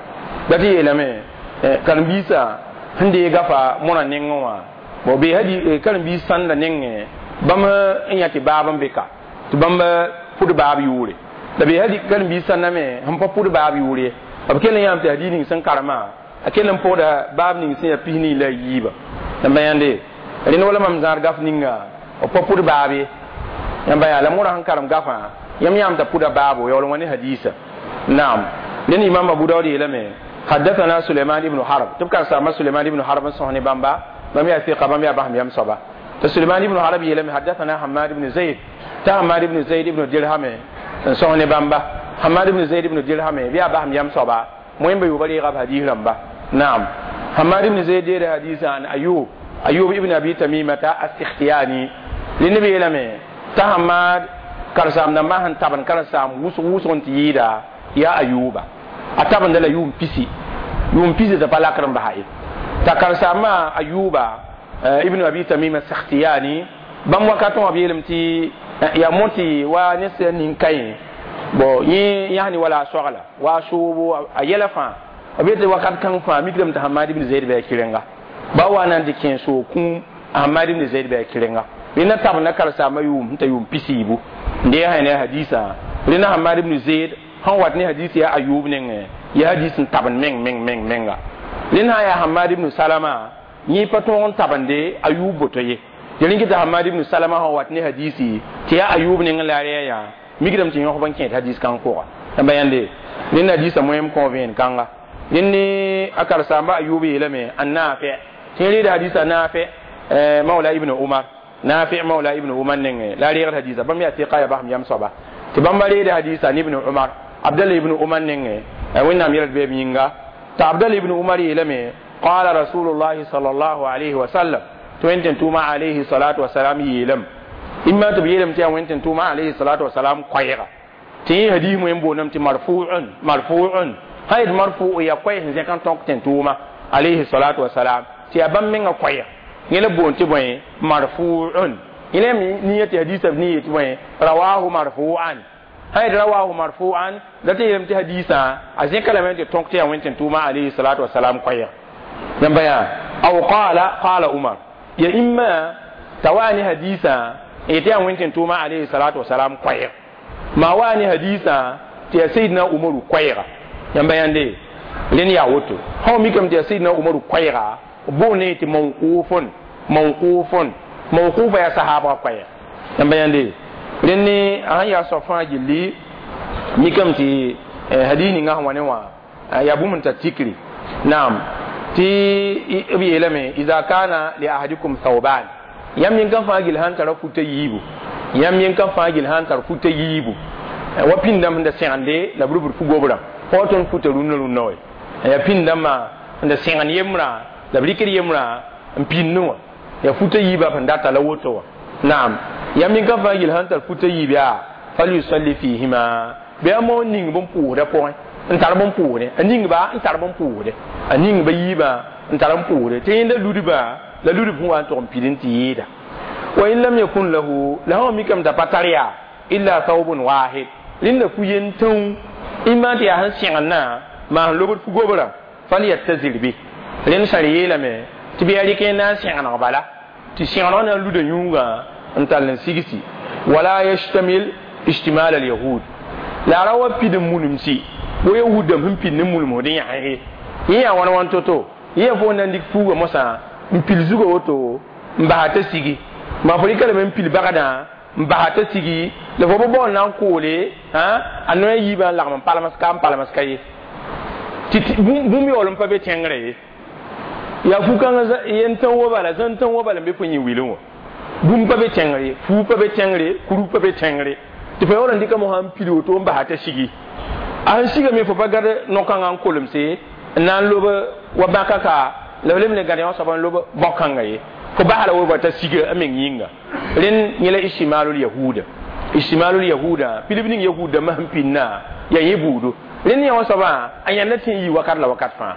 la tɩ yeelame karen-biisã sẽn dee gafa mõrã nengẽ wã bon bee hadi karen-biis sãnda nengẽ bãmb n yã tɩ baab n be ka tɩ bãmb pʋd baab yʋʋre la be hadi karen-biis sãnda me sẽn pa pʋd baab yʋʋre b kell n yãam tɩ hadiis ning sẽn karemã a kell n pʋgda baab ning sẽn yaa 24 la yiiba yãmba yãnde rẽnd wala mam zãad gaf ninga b pa pʋd baab ye yãmba yaa la mõrã sẽn karem gafã yãmb yãam t'a pʋda baabo yaool n wa ne hadiisa naam rẽnd imam Abu Dawud yeelame حدثنا سليمان بن حرب تبقى سامة سليمان بن حرب صحني بامبا بام يا ثقة بام يا بهم يم صبا سليمان بن حرب يلم حدثنا حماد بن زيد تا حماد بن زيد بن درهم صحني بامبا حماد بن زيد بن درهم بيا بهم يم صبا مهم بيوبري غاب حديث رمبا نعم حماد بن زيد يرى حديث عن أيوب أيوب ابن أبي تميمة السختياني للنبي يلم تا حماد كرسام نما هن تبن كرسام وس وس تيدا يا أيوب أتبن دلا يوم بيسي يوم بيسي تبلا كرم بهاي تكرسام أيوب ابن أبي تميمة السختياني بام وكاتون أبي يلم تي يا موتي ونس نينكاين بو يعني ولا شغلة وشو أيلا فان أبي وكات كان فان ميكرم تحماد بن زيد بأكيرنغا باوانا دكين سو كون حماد بن زيد بأكيرنغا لأن تبنا كرسام يوم تيوم بيسيبو ndee sã ne hadisa rẽna Hamad ibn Zaid sẽn wat ne hadis yaa Ayub nengẽ Ya hadis n tabend meng meng meng menga rẽnd sã n yaa Hamad ibn Salama yẽ pa tõog n tabende Ayub boto ye tɩ rẽn kɩta Hamad ibn Salama sã wat ne hadisi tɩ yaa Ayub nengẽ la a rɛɛ yã mikdame tɩ yõsb n kẽed hadis kãng pʋga yãmba yãnde rẽnd hadisã moẽm kõ vẽen kãnga rẽnd ne a karsaamba Ayub yeelame an Naafɛ tɩ reeda hadisa Naafɛ mawla ibn Umar Nafi mawla ibn Umar nengẽ la a reegd hadisa bãmb yaa tɩka yaa basem yam soaba tɩ bãmba reeda hadisa ne ibn Umar Abdallah ibn Umar nengẽ Wẽnnaam yɛl d beeb yĩnga t'a Abdallah ibn Umar yeelame qala rasulullahi sallallahu alayhi wa sallam tɩ wẽn tɩ tʋʋma alayhi salatu wasalam yeelame imma tɩ b yeelame tɩ yaa wẽn tɩ tʋʋma alayhi salatu wasalam koɛɛga tɩ yẽ hadis wẽn boondame tɩ marfuun marfuun sã yet marfu yaa koɛɛ sẽn zẽk n tõk tɩ tʋʋma alayhi salatu wasalam tɩ yaa bãmb menga koɛɛg yẽ la boond tɩ bõe marfuun yẽ la nia tɩ hadisã b ni yetɩ bõe rawahu marfuan sã yet rawahu marfuan la tɩ yeelame tɩ hadisã a zẽka lame tɩ tõk tɩ yaa wẽn tɩ tʋʋma alayhi salatu wasalam koɛɛg yãmba yaa aw qala qala Umar ya imma t'a waa ne hadisã n yetɩ yaa wẽn tɩ tʋʋma alayhi salatu wasalam koɛɛg maa waa ne hadisã tɩ yaa Sayidna Umaru koɛɛga yãmba yãnde rẽnd yaa woto sã mikame tɩ yaa Sayidna Umaru koɛɛga boond ne tɩ mawqufun mawqufun mawqufa yaa sahaabga koɛɛg yãmba yãnde rẽnd ne a sãn yaa soab fãa gilli mikame tɩ hadis ninga sẽn wa ne wã yaa bũmb n tar tikri naam tɩ b yeelame iza kana li ahadikum thawban yãmb yẽn fãa gill sãn tara futa yiibu yãmb yẽn fãa gill sãn tar futa yiibu wa pĩndame sẽn da sẽgende la b rubd fu-gobrã fo tõnd futa rũnnã rũnnã wa yaa pĩndãmbã sẽn da sẽgend yembrã la b rɩkd yembrã n pĩndẽ wã yaa futa yiibã sẽn data la woto wã naam yãmb yẽn fãa gill sãn tar futa yiib yaa falyusalli fihima bɩ a moon ning bõn-pʋʋsdã pʋgẽ n tar bõn-pʋʋsdẽ a ningba n tar bõn-pʋʋsdẽ a ningba yiibã n tar n pʋʋsdẽ tɩ yẽnda ludbã la ludb sẽn wa n tʋg n pid n tɩ yɩɩda wa in lam yakun lahu la sã mikame t'a pa tar yaa illa thawbun wahid rẽnda fu yen tãu imã tɩ yaa sẽn sẽgendã maa sẽn lobd fu-gobrã falyattazir bi rẽnd sã yeelame tɩ bɩ yaa rɩk n na n sẽgeneg bala tɩ sẽgeneg na n luda yũugã n tall n sigsi wala yashtamil ijtimal alyahud la ra wa pid n munemsi wo yahud dãmb sẽn pid ne mulmsd n yãsge yẽ yaa wãn wãn to-to yẽ fo na n dɩk fuugã mosã n pil zugã woto n basa t'a sigi maa fo rɩka lame n pil bagdã n basa t'a sigi la fo bɩ baool na n koole a noya yiibã n lagm n palms ka n palms ka ye tɩ bũmb yaool n pa be tẽngrã ye yaa fu-kãngã yen tãn wa bala zãn tãn wa bala n be fo yẽ wilẽ wã bũmb pa be tẽngre fuu pa be tẽngre kuru pa be tẽngre tɩ fo yaool n dɩka mosã n pil woto n basa t'a sigi a sẽn sigame fo pa gad no-kãngã n kolemse n na n lob wa bãka ka la b lem ne gad yã soab n lob bão-kãnga ye fo basa la wa t'a siga a meng yĩnga rẽnd yẽ la ijtimalul yahuda ijtimalul yahuda pilb ning yahud dãmbã sẽn pĩnnã yaa yẽ buudo rẽnd yã wã soabã a yãnda tɩ n yii wakat la wakat fãa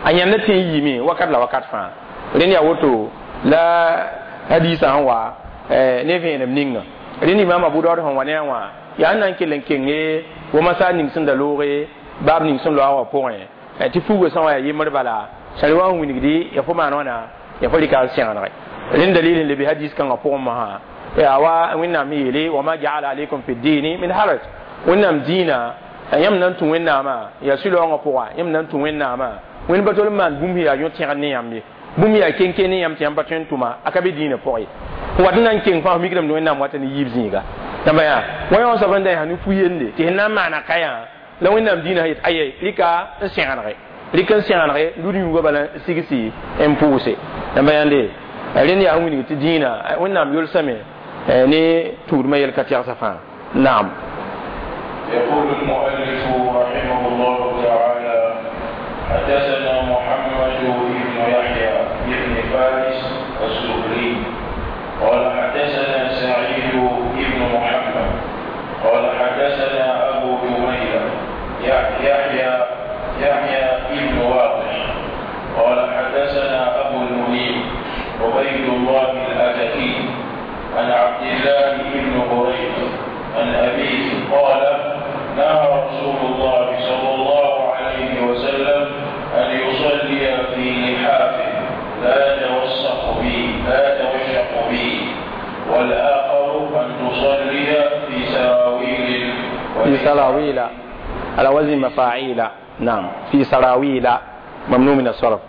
a yãnda tɩ n yiime wakat la wakat fãa rẽnd yaa woto la hadisã sẽn wa ne vẽenem ninga rẽnd imam Abu Daud sẽn wa ne a wã yaa n na n kell n kenge wamasa ning sẽn da looge baab ning sẽn loa wã pʋgẽ tɩ fuugã sã wa yaa yembr bala sã wa n wilgdi ya fo maan wãna ya fo rɩka n sẽgenege rẽnd dalil n lebe hadis kãngã pʋgẽ mosã yaa wa Wẽnnaam yeele wama jaala alaykum fi ddini min haraj Wẽnnaam dĩinã yãmb na n tũ Wẽnnaamã yaa sũ-laoongã pʋga yãmb na n tũ Wẽnnaamã wẽnd pa tol n maan bũmb yaa yõ-tẽgd ne yãmb ye bũmb yaa ken-ken ne yãmb tɩ yãmb pa tõe n tʋma a ka be dĩinã pʋgẽ ye wat n na n keng fãa f mikdame tɩ Wẽnnaam wata ne yiib zĩiga yãmba yaa wa yã wã soab n da yaa ne fu-yende tɩ sẽn na n maana ka yã la Wẽnnaam dĩinã yet aye rɩka n sẽgenege rɩk n sẽgenege lud yũugã bala n sigsi n pʋʋse yãmba yãnde rẽnd yaa sẽn wilg tɩ dĩinã Wẽnnaam yolsame ne tũudmã yɛl ka tɛgsa fãa naam. يقول المؤلف رحمه الله تعالى حدثنا محمد بن يحيى بن فارس الزهري قال حدثنا سعيد بن محمد قال حدثنا أبو جميلة يحيى بن واضح قال حدثنا أبو المنيب عبيد الله الأتكي عن عبد الله بن بريدة عن أبيه قال نهى رسول الله صلى الله عليه وسلم أن يصلي في لحافه لا يتوسق به لا يتوشق به، والآخر أن تصلي في سراويل في سراويل على وزن مفاعيل نعم في سراويل ممنوع من الصرف.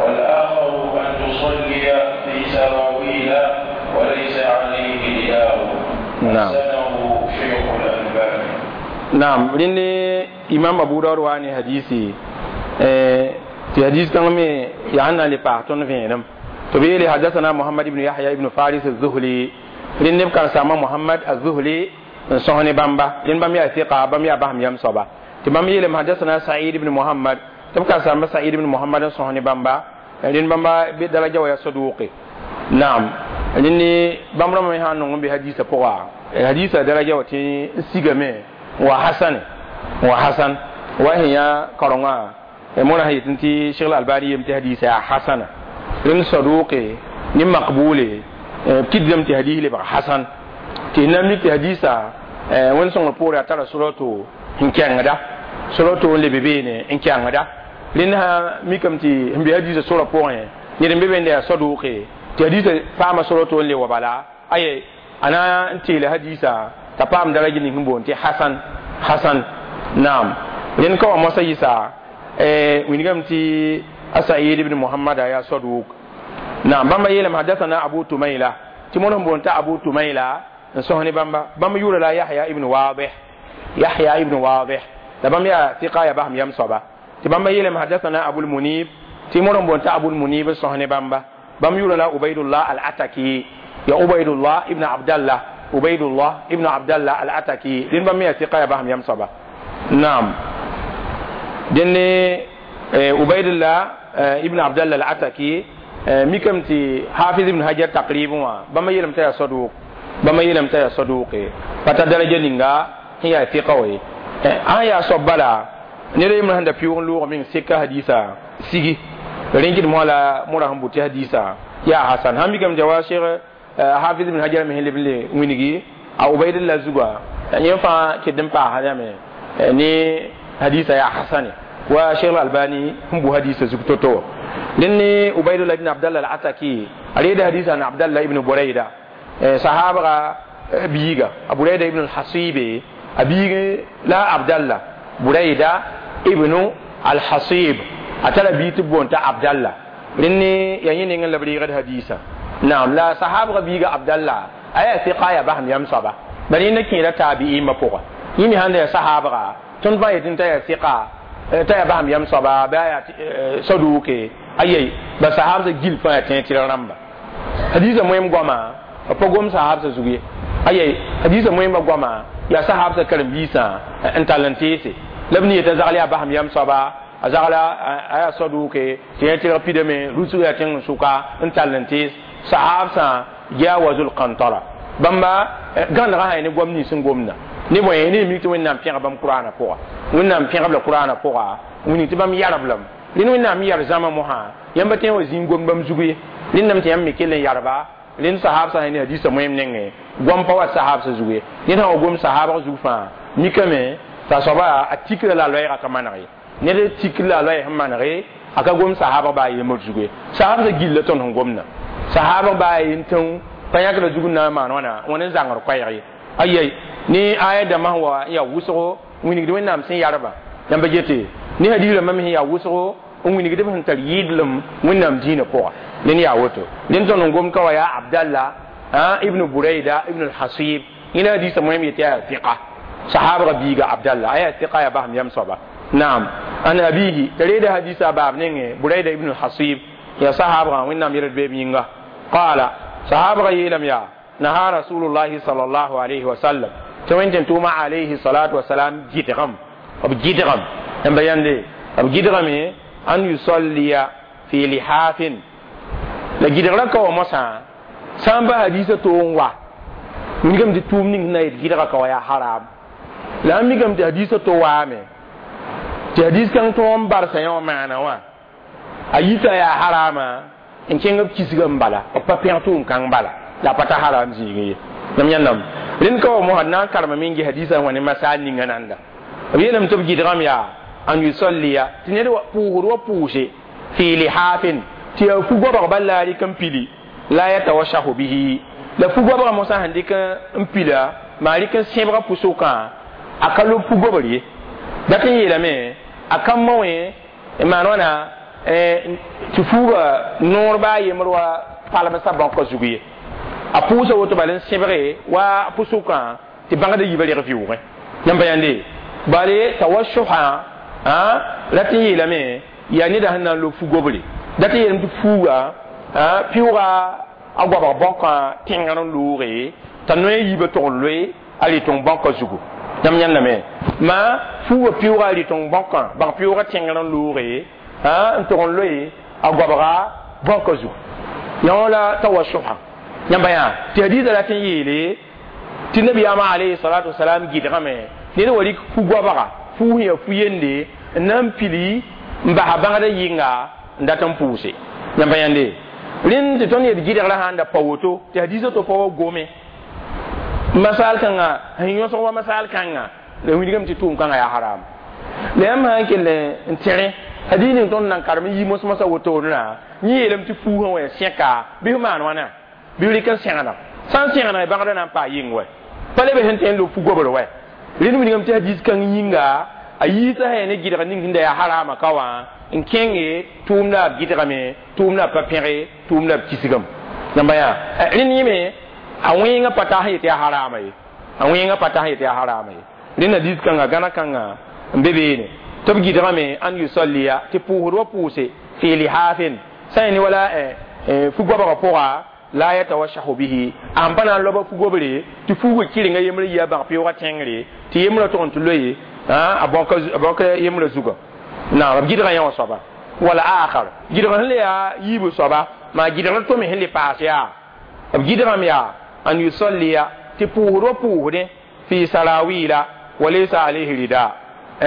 والآخر أن تصلي في سراويل وليس عليه رداء. نعم. حسنه شيخ الألباني. نعم لأن إمام أبو داود واني حديثي في حديث كان يعني لبعتون فينم تبيلي حدثنا محمد بن يحيى بن فارس الزهلي لأن كان سما محمد الزهلي سهني بامبا لأن بام يا ثقة بام يا بهم يم صبا تبام يلم حدثنا سعيد بن محمد تبقى سما سعيد بن محمد سهني بامبا لأن بامبا بدرجة ويا صدوقي. نعم لأن بامبا ما يهانون بحديث بقى حديث درجة وتي سيجمه وحسن وحسن وهي كرنا مونا هي تنتي شيخ الألباني يمتي حديث حسن لأن صدوقي نم مقبولي كدم تهديه لبقى حسن تهنم لك حديثا وين سون بوري ترى سورته إن كان غدا سورته اللي بيبيني إن كان غدا لأنها ميكم تي هم بحديث سورة بوري نيرم بيبين ده صدوقي تهديث فاهم سورته اللي وبلا أي أنا أنتي لحديثا تفهم درجة نهم بونتي حسن حسن. نعم لأن كوا مسيسا وينكم تي أسعيد بن محمد يا صدوق. نعم بما يلم حدثنا أبو تميلة تمنهم بونتا أبو تميلة نسوهني بامبا بام يقول لا يحيى ابن واضح يحيى ابن واضح تبام يا ثقة يا بهم يم صبا تبام يلم حدثنا أبو المنيب تمنهم بونتا أبو المنيب نسوهني بامبا بام يقول لا عبيد الله العتكي يا عبيد الله ابن عبد الله عبيد الله ابن عبد الله العتكي لين بام يا ثقة يا بهم يم صبا. نعم دني عبيد الله ابن عبد الله العتكي ميكم تي حافظ ابن حجر تقريبا بما يلم تي صدوق بما يلم تي صدوق فتدرجه نينغا هي ثقه آية صبلا نري من هند بيون لو من سكه حديثا سيغي رينكي مولا مورا هم بوتي حديثا يا حسن هم ميكم جواشير حافظ ابن حجر مهل بن وينغي عبيد الله زغا ينفع كدم با هذا ني حديثا يا حسن وشيخ الألباني هم بو حديث زغتوتو لأني عبيد الله بن عبد الله العتكي عليه حديث عن عبد الله بن بريدة صحابة بيغا بريدة ابن الحصيب أبيغ لا عبد الله بريدة ابن الحصيب أتلا بيت بونتا عبد الله لأني يعني نعم لبريغة حديثا. نعم لا صحابة بيغا عبد الله أي ثقة يا بهم يمصبا بل إنك لا تابعين مفوقة يمي هذا صحابة تنبأ يتنتهي ثقة تايا بهم يمصبا بايا صدوقي أي بس صحابة جيل فاتين ترى حديث مهم قما فقوم صحابة زوجي أي حديث مهم قما يا صحابة كرم بيسا أنت لنتيسي لبني يتزعل بهم يمصبا أزعل أي صدوقي تين ترى بيدمي رسول يتين سوكا أنت لنتيس صحابة جاوزوا القنطرة بما كان راهي نقوم نيسن قومنا نبغى ني ميت وين نام بيان بام قرآن فوق وين نام بيان بام قرآن فوق وين تبام يارب لهم لين وين نام يار زمان مها ينبتين وزين قوم بام زوجي لين نام تيام ميكل ياربا لين صحاب سهني حديث مهم نعى قوم بوا صحاب سزوجي لين هو قوم صحاب زوفا ميكمة تصابا أتيكل لا لوي كمان رأي نير تيكل لا لوي هم رأي أكا قوم صحاب باي يمر زوجي صحاب سجيل لتون هم قومنا صحاب باي ينتون فياكل زوجنا ما نوانا ونزعر قيري أي ni aya da mahwa ya wuso wini gidi wẽnnaam sẽn yarba yãmba yete ni hadiis rãmbã me ya wuso wini gidi sẽn tar yɩɩdlem wẽnnaam dĩinã pʋga ned yaa woto ned tõnd n gom ka wa yaa Abdallah ibn Burayda ibn al-Hasib ina hadiisã moẽm yetɩ yaa fiqa sahabga biiga Abdallah aya fiqa ya basem yam soaba. Naam an abihi t'a reeda hadiisã a baab nengẽ Burayda ibn al-Hasib ya sahabgã wẽnnaam yɛld beeb yĩnga qaala sahabgã yeelame yaa naha rasulullahi sallallahu alayhi wa sallam توين توما عليه الصلاة والسلام جدغم أب جدغم أم بيان لي أب جدغم أن يصلي في لحاف لا جدغم كوا مسا سامبا حديث تونوا ميكم دي توم نين نايت جدغم كوا يا حرام لا ميكم دي حديث توامي دي حديث كان توم بارسا يوم معنا وا أيتا يا حرام إن كان كيسغم بالا أبا بيان توم كان بالا لا پتا حرام زيغي نم ينم لين كو مو نا كرم مينغي حديثا وني مسال نيغا ناندا بينم تب جيدرام يا ان يصلي تنير بوغور وبوشي في لحاف تي فوغو بلا ريكم بيلي لا يتوشح به لا فوغو بغ موسى هنديك امبيلا مالك سيبغا بوسوكا اكلو فوغو بري Dat n yeelame a ka moẽ n maan wãna tɩ fuuga noor baa yembr wa palmsã bãnkã zug ye a pʋʋsa woto bal n sẽbge wa pʋsʋkã tɩ bãngda yiibã reg vɩʋʋgẽ yãmb pa yãnde bale tawassuhã rat n yeelame yaa neda sẽn na n lob fu-gobre dat n yeelame tɩ fuuga pɩʋʋga a goabg bãnkã tẽngr n looge t'a noe yiibã tog n loe a rɩtong bãnkã zugu yãmb yãndame ma fuuga pɩʋʋga a rɩtong bãnkã bãng pɩʋʋga tẽngr n looge n tog n loe a goabga bãnkã zugu yõ la tawassuhã yãmba yã tɩ hadiisã rat n yeele tɩ nabiyaamã alayhi salatu wasalam gɩdgame ned wa rɩk fu-goabga fuus yaa fu-yende n na n pili n basa bãgda yɩnga n dat n pʋʋse yãmba yãnde rẽnd tɩ tõnd yet gɩdgrã sãn da pa woto tɩ hadiisã to pa wa gome masaal kãnga sẽn yõsg wa masaal kãnga la wilgame tɩ tʋʋm kãngã yaa haram la yãmb sã n kell n tẽre hadiis ning tõnd nan karem n yi mos-mosã wotoorã yẽ yeelame tɩ fuusã wa ya sẽka bɩ f maan wãna bɩ f rɩk n sẽgda sã n sẽgda bãgda na n paa yɩng wɛ pa leb sẽn tõe n lob fu-gobr wɛ rẽnd wilgame tɩ hadiis kãng yĩnga a yiisã sã yaa ne gɩdg ning sẽn da yaa harama ka wã n kẽnge tʋʋmda b gɩdgame tʋʋmda b pa pẽge tʋʋmda b kisgame yãmba yaa rẽnd yẽme a wẽengã pa taa sẽn yet yaa harama ye a wẽengã pa taa sẽn yet yaa harama ye rẽnd hadiis kãnga gãna kãnga n be beene tɩ b gɩdgame an yusalliya tɩ pʋʋsd wa pʋʋse fi lihaafin sã n ne wala fu-goabgã pʋga la yatawashahu bihi an pa na n loba fu-gobre tɩ fuugã kɩrenga yembrã yia bãg pɩʋʋgã tẽngre tɩ yembrã tʋg n tɩ loe a bãka yembrã zugã naam b gɩdgã yã wã soaba wala akhar gɩdg sẽn le yaa yiibã soaba maa gɩdgrã tome sẽn le paas yaa b gɩdgame yaa an yusalliya tɩ pʋʋsd wa pʋʋsdẽ fi sarawila wa laysa alayhi rida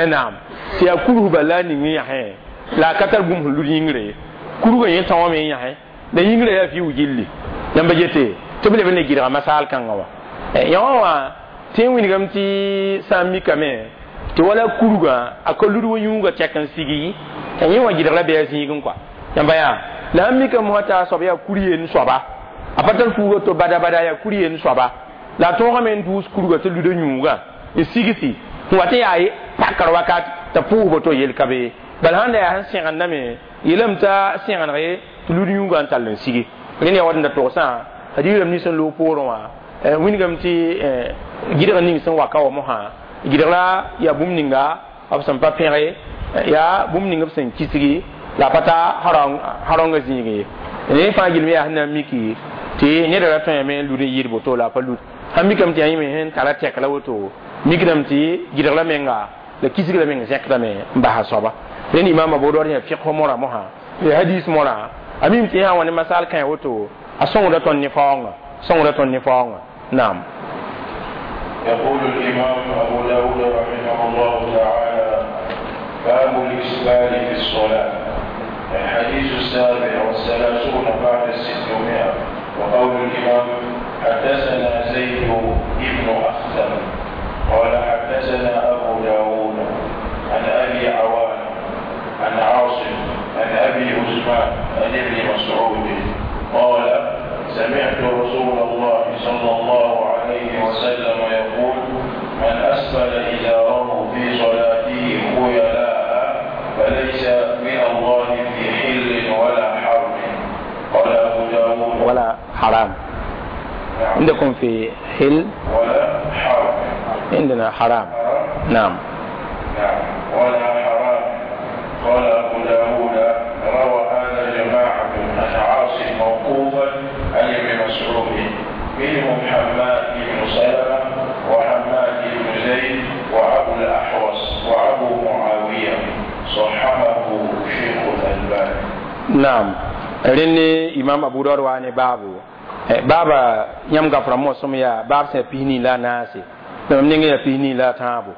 naam tɩ yaa kurusba la a ning n yãsẽ la a ka tar bũmb sẽn lud yĩngre kurgã yẽ tãoame n yãsẽ la yĩngrã yaa fiʋ gilli yãmba yete tɩ b leb n le gɩdga masaal kãngã wã yõ wã tɩ n wilgame tɩ sã n mikame tɩ wala kurgã a ka lud wa yũugã tɛk n sigi t'a yẽ wã gɩdg la bɩ a zĩigẽ kɔa yãmba yaa la sãn mikame mosã t'a soab yaa kur yen soaba a pa tar fuuga to bada bada yaa kur yen soaba la a tõogame n dʋʋs kurgã tɩ luda yũugã n sigsi n wa tɩ yaa pakr wakat t'a pʋʋsba to yel ka be bala sãn da yaa sẽn sẽgendame yeelame t'a sẽgendge tɩ lud yũugã n tall n sigi rẽnd yaa wat n da togsã hadiis rãmb nins n loog poorẽ wã wilgame tɩ gɩdg ning sẽn wa ka wa mosã gɩdgra yaa bũmb ninga b sẽn pa pẽge yaa bũmb ning b sẽn kisgi la a pa ta haronga zĩig ye ne fãa gilme yaa sẽn na n miki tɩ neda ra tõeme n lud n yɩɩd woto la a pa lud sãn mikame tɩ yaa yẽme sẽn tara tɛk la woto mikdame tɩ gɩdgra menga la kisgra meng zẽkdame n basa soaba rẽnd imaam Abu Dawud yaa fiqh mora mosã ya hadis mora a mim tɩ yã wã ne masaal kãe woto a sõngda tõnd ne faoongã sõngda tõnd ne faoongã naam. يقول الإمام أبو داود رحمه الله تعالى: باب الإسبال في الصلاة. الحديث 637 بعد 600. وقول الإمام: حدثنا زيد بن أخثم قال حدثنا أبو داود عن أبي عوان عن عاصم عن أبي عثمان عن ابن مسعود قال: سمعت رسول الله صلى الله عليه وسلم يقول: من أسفل إزاره في صلاته خيلاء فليس من الله في حل ولا حرم. قال أبو داود: ولا حرام. نعم. عندكم في حل ولا حرم؟ عندنا حرام. نعم. نعم، ولا حرام. قال أبو داود: روى هذا جماعة عن عاصم موقوفا عن ابن مسعود، منهم حماد بن سلمة وحماد بن زيد وأبو الأحوص وأبو معاوية. صححه شيخ الألباني. نعم. رني إمام أبو داود واني بابو بابا يم غفر موسم يا باب سبيني لا ناسي نعم نيجي يبيني لا تابو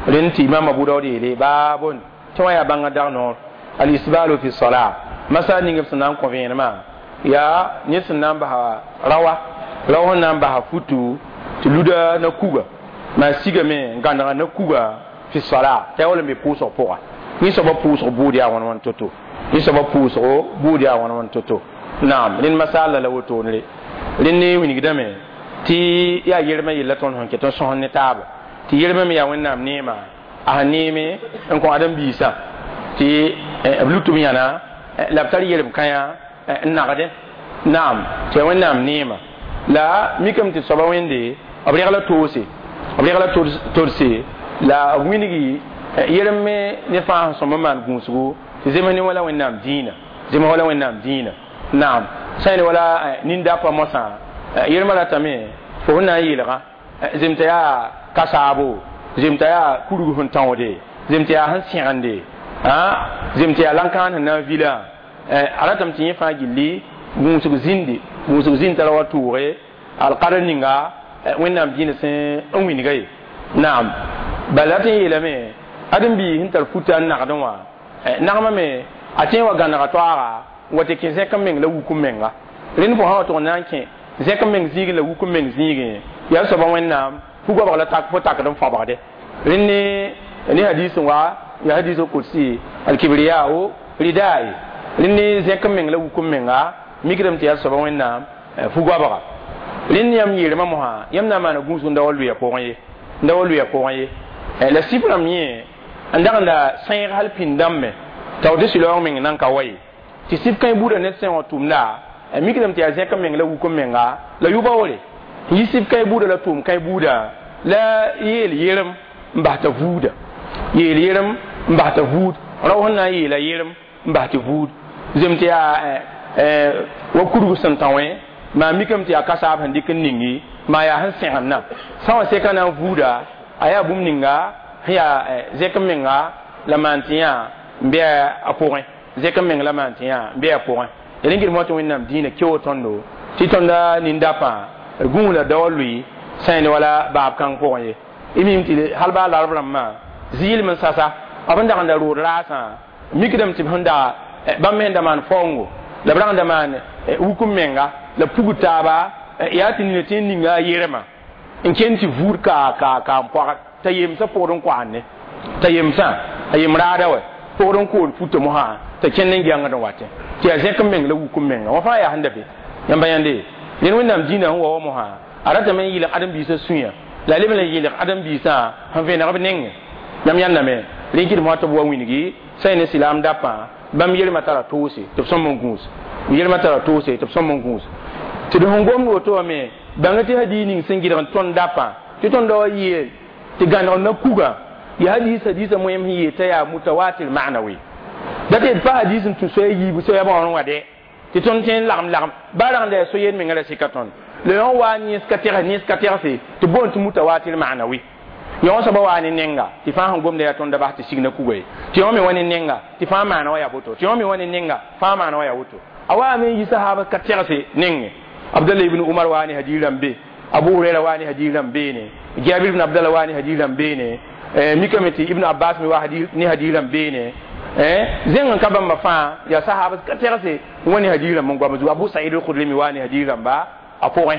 رنتي إمام أبو داود يلي بابون توا يا بانغ دانور الإسبال في الصلاة مثلا نيجي سنان كوفين ما يا نيس نان بها روا روا نان بها فوتو تلودا نكوغا ما سيغا مي غانا نكوغا في الصلاة تاول مي بوسو بوغا ني سبا بوسو بوديا وان وان توتو ني سبا بوسو بوديا وان وان توتو نعم لين مسألة لو تونري لين وينغدامي تي يا يرما يلا تون هون كتون سون نتاب تي يرما مي يا وين نام نيما a neeme n kõ ãdem-biisã tɩ b lut b yãna la b tar yelem kãyã n nagdẽ naam tɩ yaa wẽnnaam neema la mikame tɩ soaba wẽnde b regla toose b regla todse la b wilgi yelem me ne fãa sẽn sõm n maan gũusgo tɩ zems ne wala wẽnnaam dĩinã zems wala wẽnnaam dĩinã naam sã ne wala nin-dapã mosã yelmã ratame fo sẽn na n yeelgã zem t'a yaa kasaabo zem t'a yaa kurg sẽn tãoode zem t'a yaa sẽn sẽgende zem t'a yaa lãn-kãan sẽn na n vilã a ratame tɩ yẽ fãa gilli gũusg zĩndi gũusg zĩnd tara wa tʋʋge alqadr ninga wẽnnaam dĩinã sẽn n wilga ye naam bala tɩ n yeelame ãdem-biig sẽn tar futa n nagdẽ wã nagmã me a tẽ wa gãnega toaaga n wa tɩ kẽ zẽk n meng la wuk n menga rẽnd fo sã wa tʋg n na n kẽ zẽk n meng zĩigẽ la wuk n meng zĩigẽ yaa soaba wẽnnaam fu-goabg la fo takd n fabgde rẽnd ne hadis n wa ya hadis kursi alkibriya o ridai rẽnd ne zẽk n meng la wuk n menga mikdame tɩ yaa soaba wẽnnaam fu-goabga rẽnd yãmb yeelmã mosã yãmb na n maana gũusg n da wa lʋɩa pʋgẽ ye n da wa lʋɩa pʋgẽ ye la sɩf rãmb yẽ n dag n da sẽeg hal pĩnd-dãmb me t'a tɩ sɩlaoong meng nan ka wa ye tɩ sɩf kãe buudã ned sẽn wã tʋmda mikdame tɩ yaa zẽk n meng la wuk n menga la yʋ-baoore n yi sɩf kãe buudã la tʋʋm kãe buudã la yeel yerem n bas t'a vuuda yeel yerem n bas t'a vuud rao sẽn na n yeela yerem n bas tɩ vuud zem tɩ yaa wa kurg sẽn tã wẽ maa mikame tɩ yaa kasaab sẽn dɩk n ningi maa yaa sẽn sẽgendã sã wã seka na n vuuda a yaa bũmb ninga sẽn yaa zẽk n menga la maan tɩ yã n bɩ a pʋgẽ zẽk n meng la maan tɩ yã n bɩ a pʋgẽ ya rẽn gɩdmã tɩ wẽnnaam dĩinã keo tõndo tɩ tõnda nin-dapã d gũus la dao lʋɩ sã ne wala baab kãng pʋgẽ ye y mim tɩ hal baa larb rãmbã zɩɩlem n sasa b n dag n da rood raasã mikdame tɩ b sẽn da bãmb me sẽn da maan faoongo la b rag n da maan wuk n menga la pugd taaba yaa tɩ nina tɩ n ninga a yerema n ken tɩ vuud ka ka ka n poagd t'a yemsã pʋgd n koande t'a yemsã a yem raada wɛ pʋgd n kood futa mosã t'a kẽnd n gɛngd n watẽ tɩ yaa zẽk n meng la wuk n menga wã fãa yaa sẽn da be yãmba yãnde rẽnd wẽnnaam dĩinã sẽn wa wa mosã a ratame n yɩlg ãdem-biisã sũyã la a leb n yɩlg ãdem-biisã sẽn vẽneg b nengẽ yãmb yãndame rẽn kɩdem wã tɩ b wa wilgi sã ne silaam dapã bãmb yelmã tara toose tɩ b sõm n gũus yelmã tara toose tɩ b sõm n gũus tɩ d sẽn gomd woto wã me bãnga tɩ hadiis ning sẽn gɩdg n tõnd dapã tɩ tõnd wa yeel tɩ gãneg na kuga ya hadis hadisa moyem sẽn yeel t'a yaa mutawatir ma'nawi da tɩ d pa hadis n tũ soa yiibu soa bãoor wã dɛ tɩ tõnd tõe n lagem lagem baa rag n da yaa so-yeen menga la sɩka tõnd la yõ wa nins ka tegs nins ka tegse tɩ boond tɩ mutawatir ma'nawi yõ soaba waa ne nenga tɩ fãa sẽn gomda yaa tõnd da bas tɩ signa kuga ye tɩ yõ me wa ne nenga tɩ fãa maana wa yaa boto tɩ yõ me wa ne nenga fãa maana wa yaa woto a waa me n yi sahaaba ka tegse nengẽ Abdallah ibn Umar waa ne hadiis rãmb be Abu Huraira waa ne hadiis rãmb beene Jabir ibn Abdallah waa ne hadiis rãmb beene mikame tɩ Ibn Abbas me waa ne hadiis rãmb beene zẽng n ka bãmba fãa yaa sahaaba ka tegse n wa ne hadiis rãmb n goam zugu Abu Sa'id al-Khudri me waa ne hadiis rãmba a pʋgẽ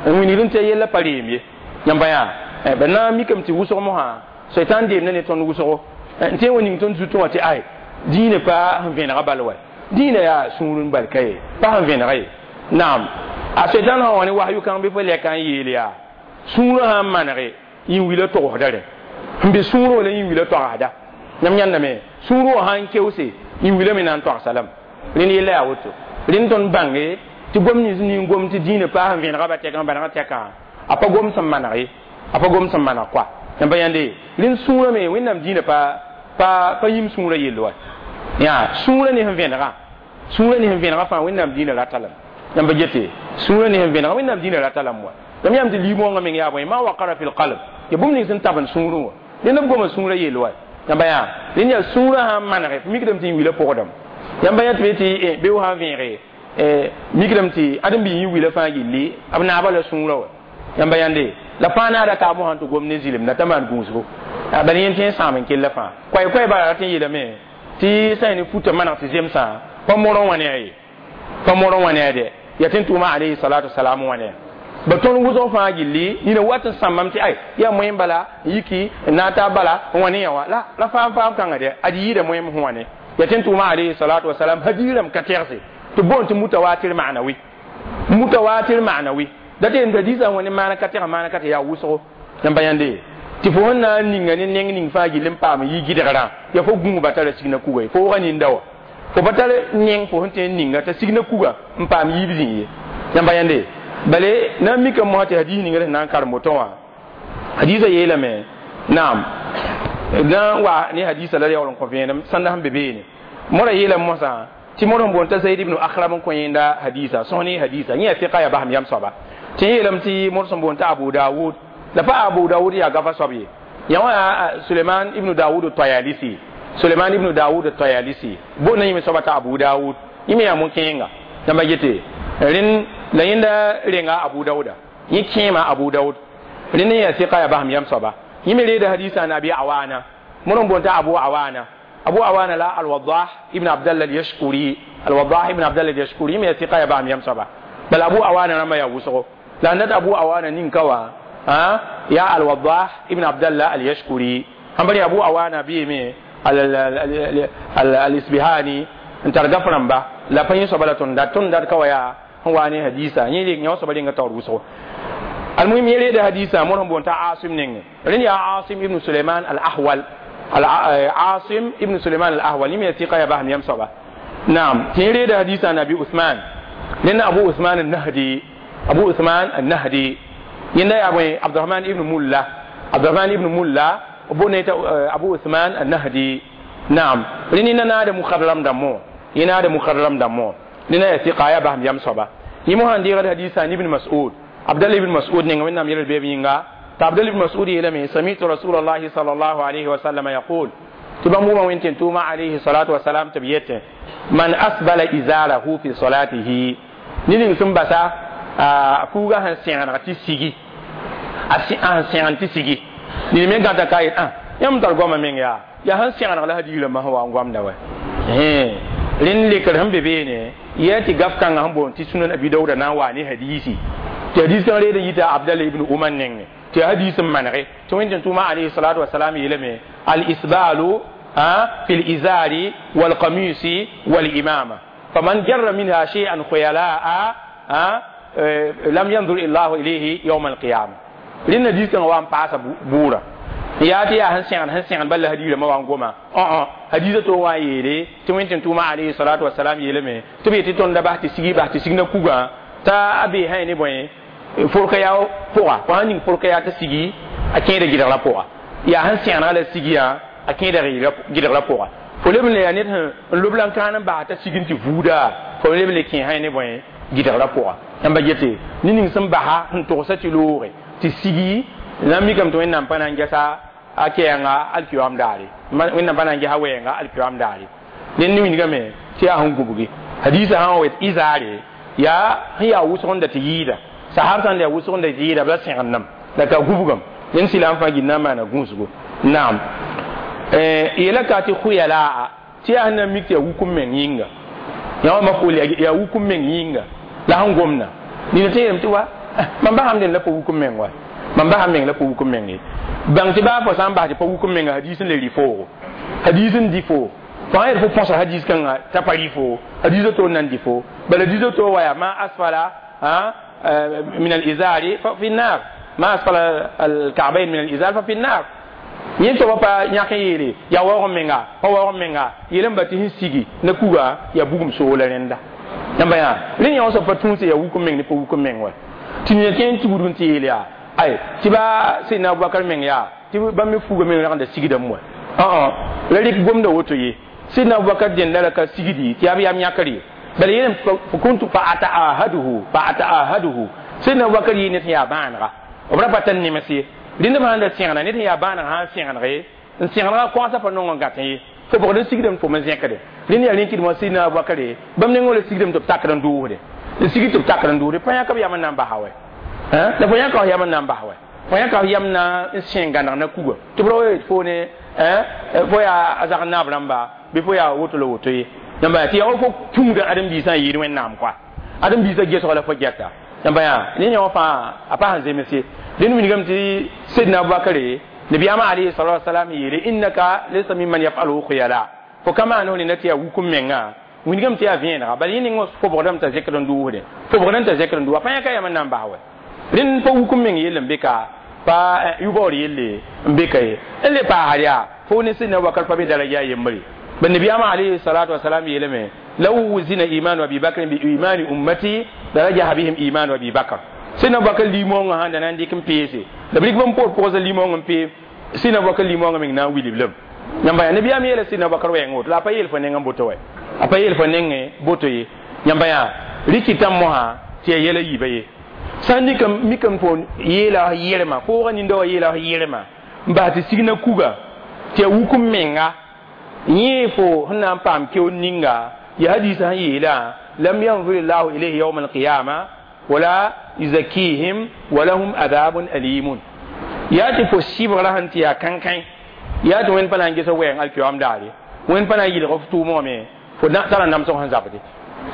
n wilgd n tɩ a yella pa reem ye yãmba yaa ba na mikame tɩ wʋsg mosã soitan deemda ne tõnd wʋsgo n tõe n wa ning tõnd zutẽ wã tɩ ay dĩinã pa sẽn vẽnega bal wa dĩinã yaa sũur n bal ka ye pa sẽn vẽnega ye naam a soitan sã wã ne wahyu kãng bɩ fo lɛka n yeel yaa sũurã sã n manege yĩn-wilã togsda rẽ n be sũurẽ wã la yĩn-wilã togsda yãmb yãndame sũurẽ wã sã n keoose yĩn-wilã me na n togsa lame rẽnd yella yaa woto rẽnd tõnd bãnge tɩ gom nins ning gom tɩ dĩinã paas n vẽnega ba tɛk n bãneg tɛkã a pa gom sẽn maneg ye a pa gom sẽn maneg koa yãmba yãnde rẽnd sũurã me wẽnnaam dĩinã pa pa pa yĩm sũurã yell wa yaa sũurã ne sẽn vẽnega sũurã ne sẽn vẽnega fãa wẽnnaam dĩinã rata lame yãmba gete sũurã ne sẽn vẽnega wẽnnaam dĩinã rata lame wa yãmb yãmb tɩ liimoongã meng yaa bõe ma waqara fi lqalb ya bũmb ning sẽn tabend sũurẽ wã rẽnd b goma sũurã yell wa yãmba yaa rẽnd yaa sũurã sã n manege f mikdame tɩ yĩn-wilã pʋgdame yãmba yã tɩ be tɩ be sã n vẽege mikdame tɩ ãdem-biig yĩn-wilã fãa gilli b naaba la sũurã wa yãmba yãnde la fãa naada kaam sãn tɩ gom ne zɩlemda t'a maan gũusgo bala yẽn tɩ n sãam n kella fãa koɛɛ-koɛɛ bala rat n yeelame tɩ sã ne futa maneg tɩ zemsã pa morẽ wã ne a ye pa morẽ wã ne a dɛ yaa tɩ n tʋʋma alayhi salatu wasalam wã ne ba tõnd wʋsg fãa gilli nina wat n sãmbame tɩ ay yaa moẽm bala n yiki n na n taa bala n wa ne yã wã la la faam faam kãnga dɛ ad yɩɩda moẽm sẽn wa ne yaa tɩ n tʋʋma alayhi salatu wasalam hadiirame ka tegse tɩ boond tɩ mutawatir ma'nawi mutawatir ma'nawi da tɩ n hadisã wã ne maan ka teg maan ka tɩ yaa wʋsgo yãmba yãnde Tɩ fo sẽn na n ninga ne neng ning fãa gill n paam n yi gɩdgrã yaa fo gũuba tara signa kuga ye fo wʋga ninda wã fo pa tar neng fo sẽn tõe n ninga t'a signa kuga n paam yiib zĩig ye yãmba yãnde bale na n mikame mosã tɩ hadiis ninga sẽn na n karem woto wã hadiisã yeelame naam na n wa ne hadiisã la yaool n kõ vẽenem sãnda sẽn be beene mora yeelame mosã tɩ mor sẽn boond t'a Zaid ibn Akhram n kõ yẽnda hadiisa sõs ne hadiisa yẽ yaa fiqa yaa basem yam soaba tɩ yeelame tɩ mor sẽn boond t'a Abu Dawud la pa Abu Dawud yaa gafa soab ye yã wã yaa Suleiman ibn Dawud Tayalisi Suleiman ibn Dawud Tayalisi boonda yẽme soaba t'a Abu Dawud yẽ me yaa mo-kẽenga yãmba gete rẽnd la yẽnda renga Abu Dawuda yẽ kẽema Abu Dawud rẽnd n yaa fiqa yaa basem yam soaba yẽ me reeda hadiisa na Abi Awana mor n boond t'a Abu Awana Abu Awana la Al-Wadah ibn Abdallah al-Yashkuri Al-Wadah ibn Abdallah al-Yashkuri yẽ me yaa fiqa yaa basem yam soaba bala Abu Awana rãmba yaa wʋsgo la n dat Abu Awana nin-ka wã ya Al-Wadah ibn Abdallah al-Yashkuri sãn bari Abu Awana bɩɩme al-Isbihani n tar gaf rãmba la pa yẽ soaba la tõnd dat ka wa yaa sẽn wa ne hadiisa yẽ yã soaba renga taoor wʋsgo almuhim yẽ reeda hadiisa mor sẽn boond t'a Asim nengẽ rẽnd yaa Asim ibn Suleiman al-Ahwal Asim ibn Suleiman al-Ahwal yẽ me yaa sɩka yaa basem yam soaba naam tɩ yẽ reeda hadiisa Nabi Usman rẽnd Abu Usman al-Nahdi Abu Usman al-Nahdi yẽnda yaa bõe Abdurahman ibn Mulla Abdurahman ibn Mulla boonda t'a Abu Usman al-Nahdi naam rẽnd yẽnda naada mukhadram dãmbõ yẽ naada mukhadram dãmbõ rẽnda yaa sɩka yaa basem yam soaba yẽ mosã n deegd hadiisa ibn Mas'ud Abdallah ibn Mas'ud nenga wẽnnaam yɛl beeb yĩnga t'a Abdallah ibn Mas'ud yeelame sami'tu Rasulallahi sallallahu alayhi wa sallam yaqul tɩ bãmb wʋma wẽn tɩ tʋʋma alayhi salatu wasalam tɩ b yetẽ man asbala izarahu fi salatihi ne ning sẽn basa a fuuga sẽn sẽgeneg tɩ sigi a sẽn sẽgen tɩ sigi ned me gãta ka yet yãmb tar goamã meng yaa yaa sẽn sẽgeneg la hadiis rãmbã sẽn wa n goamda wa rẽnd lekr sẽn be beene yaa tɩ gaf kãngã sẽn boond tɩ Sunan Abi Dawuda na n waa ne hadiisi tɩ hadiis kãng reed n yita Abdallah ibn Umar nengẽ tɩ hadiis n manege tɩ wẽn tɩ tʋʋma alayhi salatu wasalam yeelame al-isbalu fi l-izari wal-qamisi wal-imama faman jarra minha shay'an khuyala'a lam yanzur illahu ilayhi yawm al-qiyama rẽnd hadiis kãngã wa n paasa bʋʋra yaa tɩ yaa sẽn sẽgen bala hadiis rãmbã wa n goma hadiisã to wa n yeele tɩ wẽn tɩ tʋʋma alayhi salatu wasalam yeelame tɩ b yetɩ tõnd da bas tɩ sigi bas tɩ signa kugã t'a a bee sã ne bõe forka yaa pʋga fo sãn ning forka yaa t'a sigi a kẽeda gɩdgrã pʋga yaa sẽn sẽgenga la sigiyã a kẽeda gɩdgrã pʋga fo leb n le yaa ned sẽn n lob la n kãan n bas t'a sig n tɩ vuuda fo leb n le kẽ sã ne bõe gɩdgrã pʋga yãmba gete ne ning sẽn basa sẽn togsa tɩ looge tɩ sigi na n mikame tɩ wẽnnaam pa na n gɛsa a kɛɛnga alkiyoam daare wẽnnaam pa na n gɛsa wɛɛnga alkiyoam daare ned ne wingame tɩ yaa sẽn gubgi hadiisã sã n wa izaare yaa sẽn yaa wʋsg n da tɩ yɩɩda sahab sãn da yaa wʋsg n da tɩ yɩɩda b la sẽgendame la ka gubgame ned sɩla n fãa gill na n maana gũusgo naam yeela ka tɩ khuyalaa tɩ yaa sẽn na n mik tɩ yaa wukum meng yĩnga yã wã mafʋʋl yaa wukum meng yĩnga la sẽn gomda nina tɩ yeelame tɩ wa mam basam dẽnd la pa wukum meng wa mam basam meng la pa wukum meng ye bãng tɩ baa fo sã n bas tɩ pa wukum menga hadiis n le rɩ foogo hadiis n dɩ foo fo sã yel fo põsa hadiis kãngã t'a pa rɩ foo hadiisã to n na n dɩ foo bala hadiisã to wa yaa ma asfala min al-izari fa fi an-nar ma asfala al-ka'bayn min al-izar fa fi an-nar yẽ soaba pa yãk n yeele yaa waoog menga pa waoog menga yeelame ba tɩ sẽn sigi ne kuga yaa bugum soola rẽnda yãmba yaa rẽnd yã soab pa tũuse yaa wukum meng ne pa wukum meng wa tɩ ned kẽ n tugd n tɩ yeel yaa ay tɩ ba Seydina Abubakar meng yaa tɩ bãmb me fuuga meng ragenda sigdame wa la rɩk gomda woto ye Seydina Abubakar dẽnda la ka sigdi tɩ yaa b yam yãkr ye bala yeelame fa kuntu fa ata'ahaduhu Seydina Abubakar yɩ ned sẽn yaa bãanega b ra pa tar nems ye rẽnd b sãn da sẽgna ned sẽn yaa bãaneg sã n sẽgeneg n sẽgenega kõasã pa nong n gãtẽ ye fo bgd n sigdame fo me zẽkde rẽnd yaa rẽn tɩdmã Seydina Abubakar bãmb nengẽ la sigdame tɩ b takd n dʋʋsde n sig tɩ b takd n dʋʋsde pa yãk b yam n na n basa wɛ la fo yãka f yam n na n bas wɛ fo yãka f yam na n sẽn gãneg na kuga tɩ b ra wa fo ne fo yaa a zag naab rãmba bɩ fo yaa woto la woto ye yãmba tɩ yaa fo tũuda ãdem-biisã n yɩɩd wẽnnaam koa ãdem-biisã gesg la fo gɛta yãmba yaa ne yã wã fãa a pa sẽn zems ye rẽnd wilgame tɩ Seydina Abubakar nabiyaamã alayhi salatu wasalam yeele innaka laysa mimman yafaluhu khuyala fo ka maan f rẽnda tɩ yaa wukum mengã wilgame tɩ yaa vẽenega bala yẽ ning fo bgdame t'a zẽkd n dʋʋsde fo bgdame t'a zẽkd n dʋʋs a pa yãka yam n na n bas wɛ rẽnd pa wukum meng yell n be ka Pa yʋbaoor yelle n be ka ye n le paasd yaa fo ne sẽn na Abubakar pa be daraja yembre. Ba nabiyaamã alayhi salatu wasalam yeelame: law wuzina imanu Abi Bakrin bi imani ummati la rajaha bihim imanu Abi Bakr. Sẽn Abubakar limongã sãn da na n dɩk n peese la b rɩk bãmb poor pʋgsa limong n pee, sẽn Abubakar limongã meng na n wilb lame. Yãmba yaa nabiyaam yeela sẽn Abubakar wɛɛngã woto la a pa yeel fo nengã boto wɛ, a pa yeel fo nengẽ boto ye. Yãmba yaa rɩkɩtã mosã tɩ yaa yɛla yiibã ye. Sã n mikame fo yeela yɛlma foogã ninda wã yeela yɛlma n bas tɩ signa kuga tɩ ya wuk n menga yẽ fo sẽn na n paam keoor ninga ya hadisa sẽn yeelã: lam yanzur llahu ilayhi yawma alqiyama wala yuzakihim walahum adabun alimun. Yaa tɩ fo sɩbgrã sẽn tɩ yaa kãnkãi, yaa tɩ wẽnd pa na n ges wɛɛng alkiyoam daare, wẽnd pa na n yɩlg f tʋʋmẽ wã me fo tara namsg sẽn zabde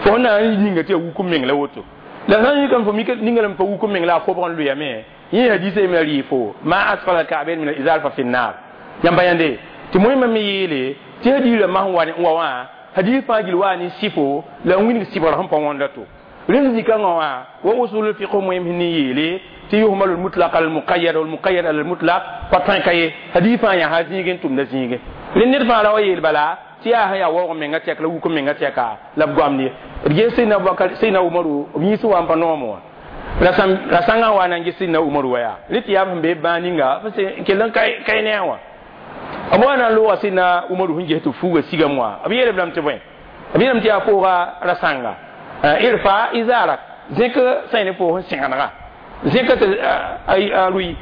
fo sẽn na n ninga tɩ ya wuk n meng la woto. La sã n yikame fo ninga lame pa wuk n meng la a fobg n lʋyame yẽ hadisa yemla rɩ fo ma asfala alka'bain min alizar fa fi nnar. Yãmba yãnde tɩ moẽmã me yeele tɩ hadiis rãmbã sẽn wa n wa wã, hadis fãa gill waa ne sɩfo la n wilg sɩbgr sẽn pa wõnda to. Rẽnd zikãngã wã wa usul fiq moem sẽn ne yeele tɩ yuhmalu lmutlaq ala lmuqayyad walmuqayyad ala lmutlaq pa tõe ka ye. Hadis fãa yãsa zĩig n tʋmda zĩige. Rẽnd ned fãa ra wa yeel bala tɩ yaa sẽn yaa waoog menga tɛk la wuk menga tɛka la b goamd ye. D ges Sẽdna Abubakar, Sẽdna Umaru b yĩns wa n pa noom wã ra sãngã wa na n ges Sẽdna Umaru wa yaa rẽ tɩ yaa b sẽn be bãag ninga kell n kae ne a wã b wa na n looga Sẽdna Umaru sẽn ges tɩ fuuga sigame wã. B yeelb lame tɩ bõe? B yeelame tɩ yaa fooga rasãnga irfa izarak zẽk sã ne fo sẽn sẽgenega zẽk tɩ a rʋɩ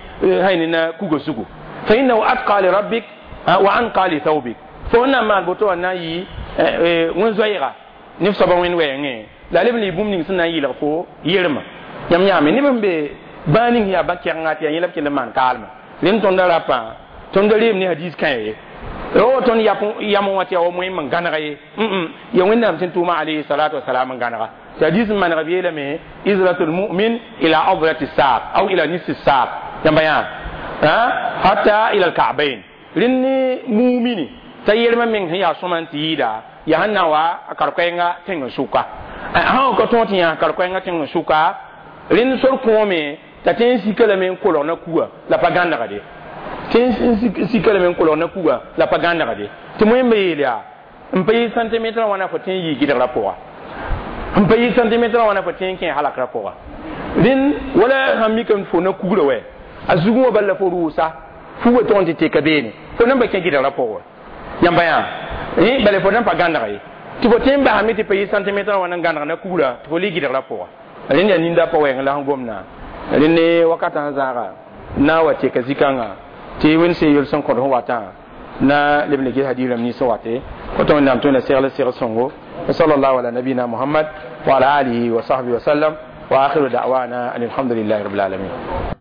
hay na kuga sugu fa innahu atqa li rabbik wa anqa li thawbik. Fo na maan boto wã na n yɩ wẽn-zoɛɛga ne f soaba wẽnd wɛɛngẽ la leb n lɩ bũmb ning sẽn na n yɩlg fo yelma. Yãmb yãame neb n be bãag ning yaa ba-kɛgenga tɩ yaa yẽ la b kell n maan kaalmã. Rẽnd tõnda rapã tõnd reem ne hadis kã ye ro tõnd yam wã tɩ yaa wa moẽm n gãnega ye ya Wẽnnaam sẽn tʋʋma alayhi salatu wasalam n gãnega tɩ hadis n maneg b yeelame: izratu lmumin ila adrati saq aw ila nisfi saq. Yãmba yã hatta ila alka'bain. Rẽnd ne mumini t'a yelmã meng sẽn yaa sõma n tɩ yɩɩda yaa sẽn na wa a kar-koɛɛngã tẽng sʋka sã ka tõog tɩ yã kar-koɛɛngã tẽng sʋka. Rẽnd sor kõome t'a tẽ n sika lame n kolg na kuga la pa gãnegde, tẽ n sika lame n kolg na kuga la pa gãnegde. Tɩ moẽmba yeel yaa n pa yɩ centimetre wãna fo tẽ n yɩ gɩdgrã pʋga, n pa yɩ centimetre wãna fo tẽ n kẽ halakra pʋga. Rẽnd wala sãn mikame fo na kugrã wɛ a zugẽ wã bal la fo rʋʋsa fuga tʋg n tɩ teka beene fo nan pa kẽ gɩdgrã pʋgẽ. Yãmba yã bala fo nan pa gãneg ye tɩ fo tẽ n basame tɩ pa yɩ centimetre wãna n gãneg na kugrã tɩ fo lɩ gɩdgrã pʋga. Rẽnd yaa ninda pa wɛɛng la sẽn gomna rẽnd ne wakatã sẽn zaaga na wa teka zikãngã tɩ wẽnd sẽn yel sẽn kõd sẽn watã na leb n ges hadis rãmb nins wate koto Wẽnnaam tõe na segl segl sõngo. Wa sallallahu ala nabina Muhammad wa ala alihi wa sahbihi wa sallam wa akhiru da'wana an alhamdulillahi rabbil alamin.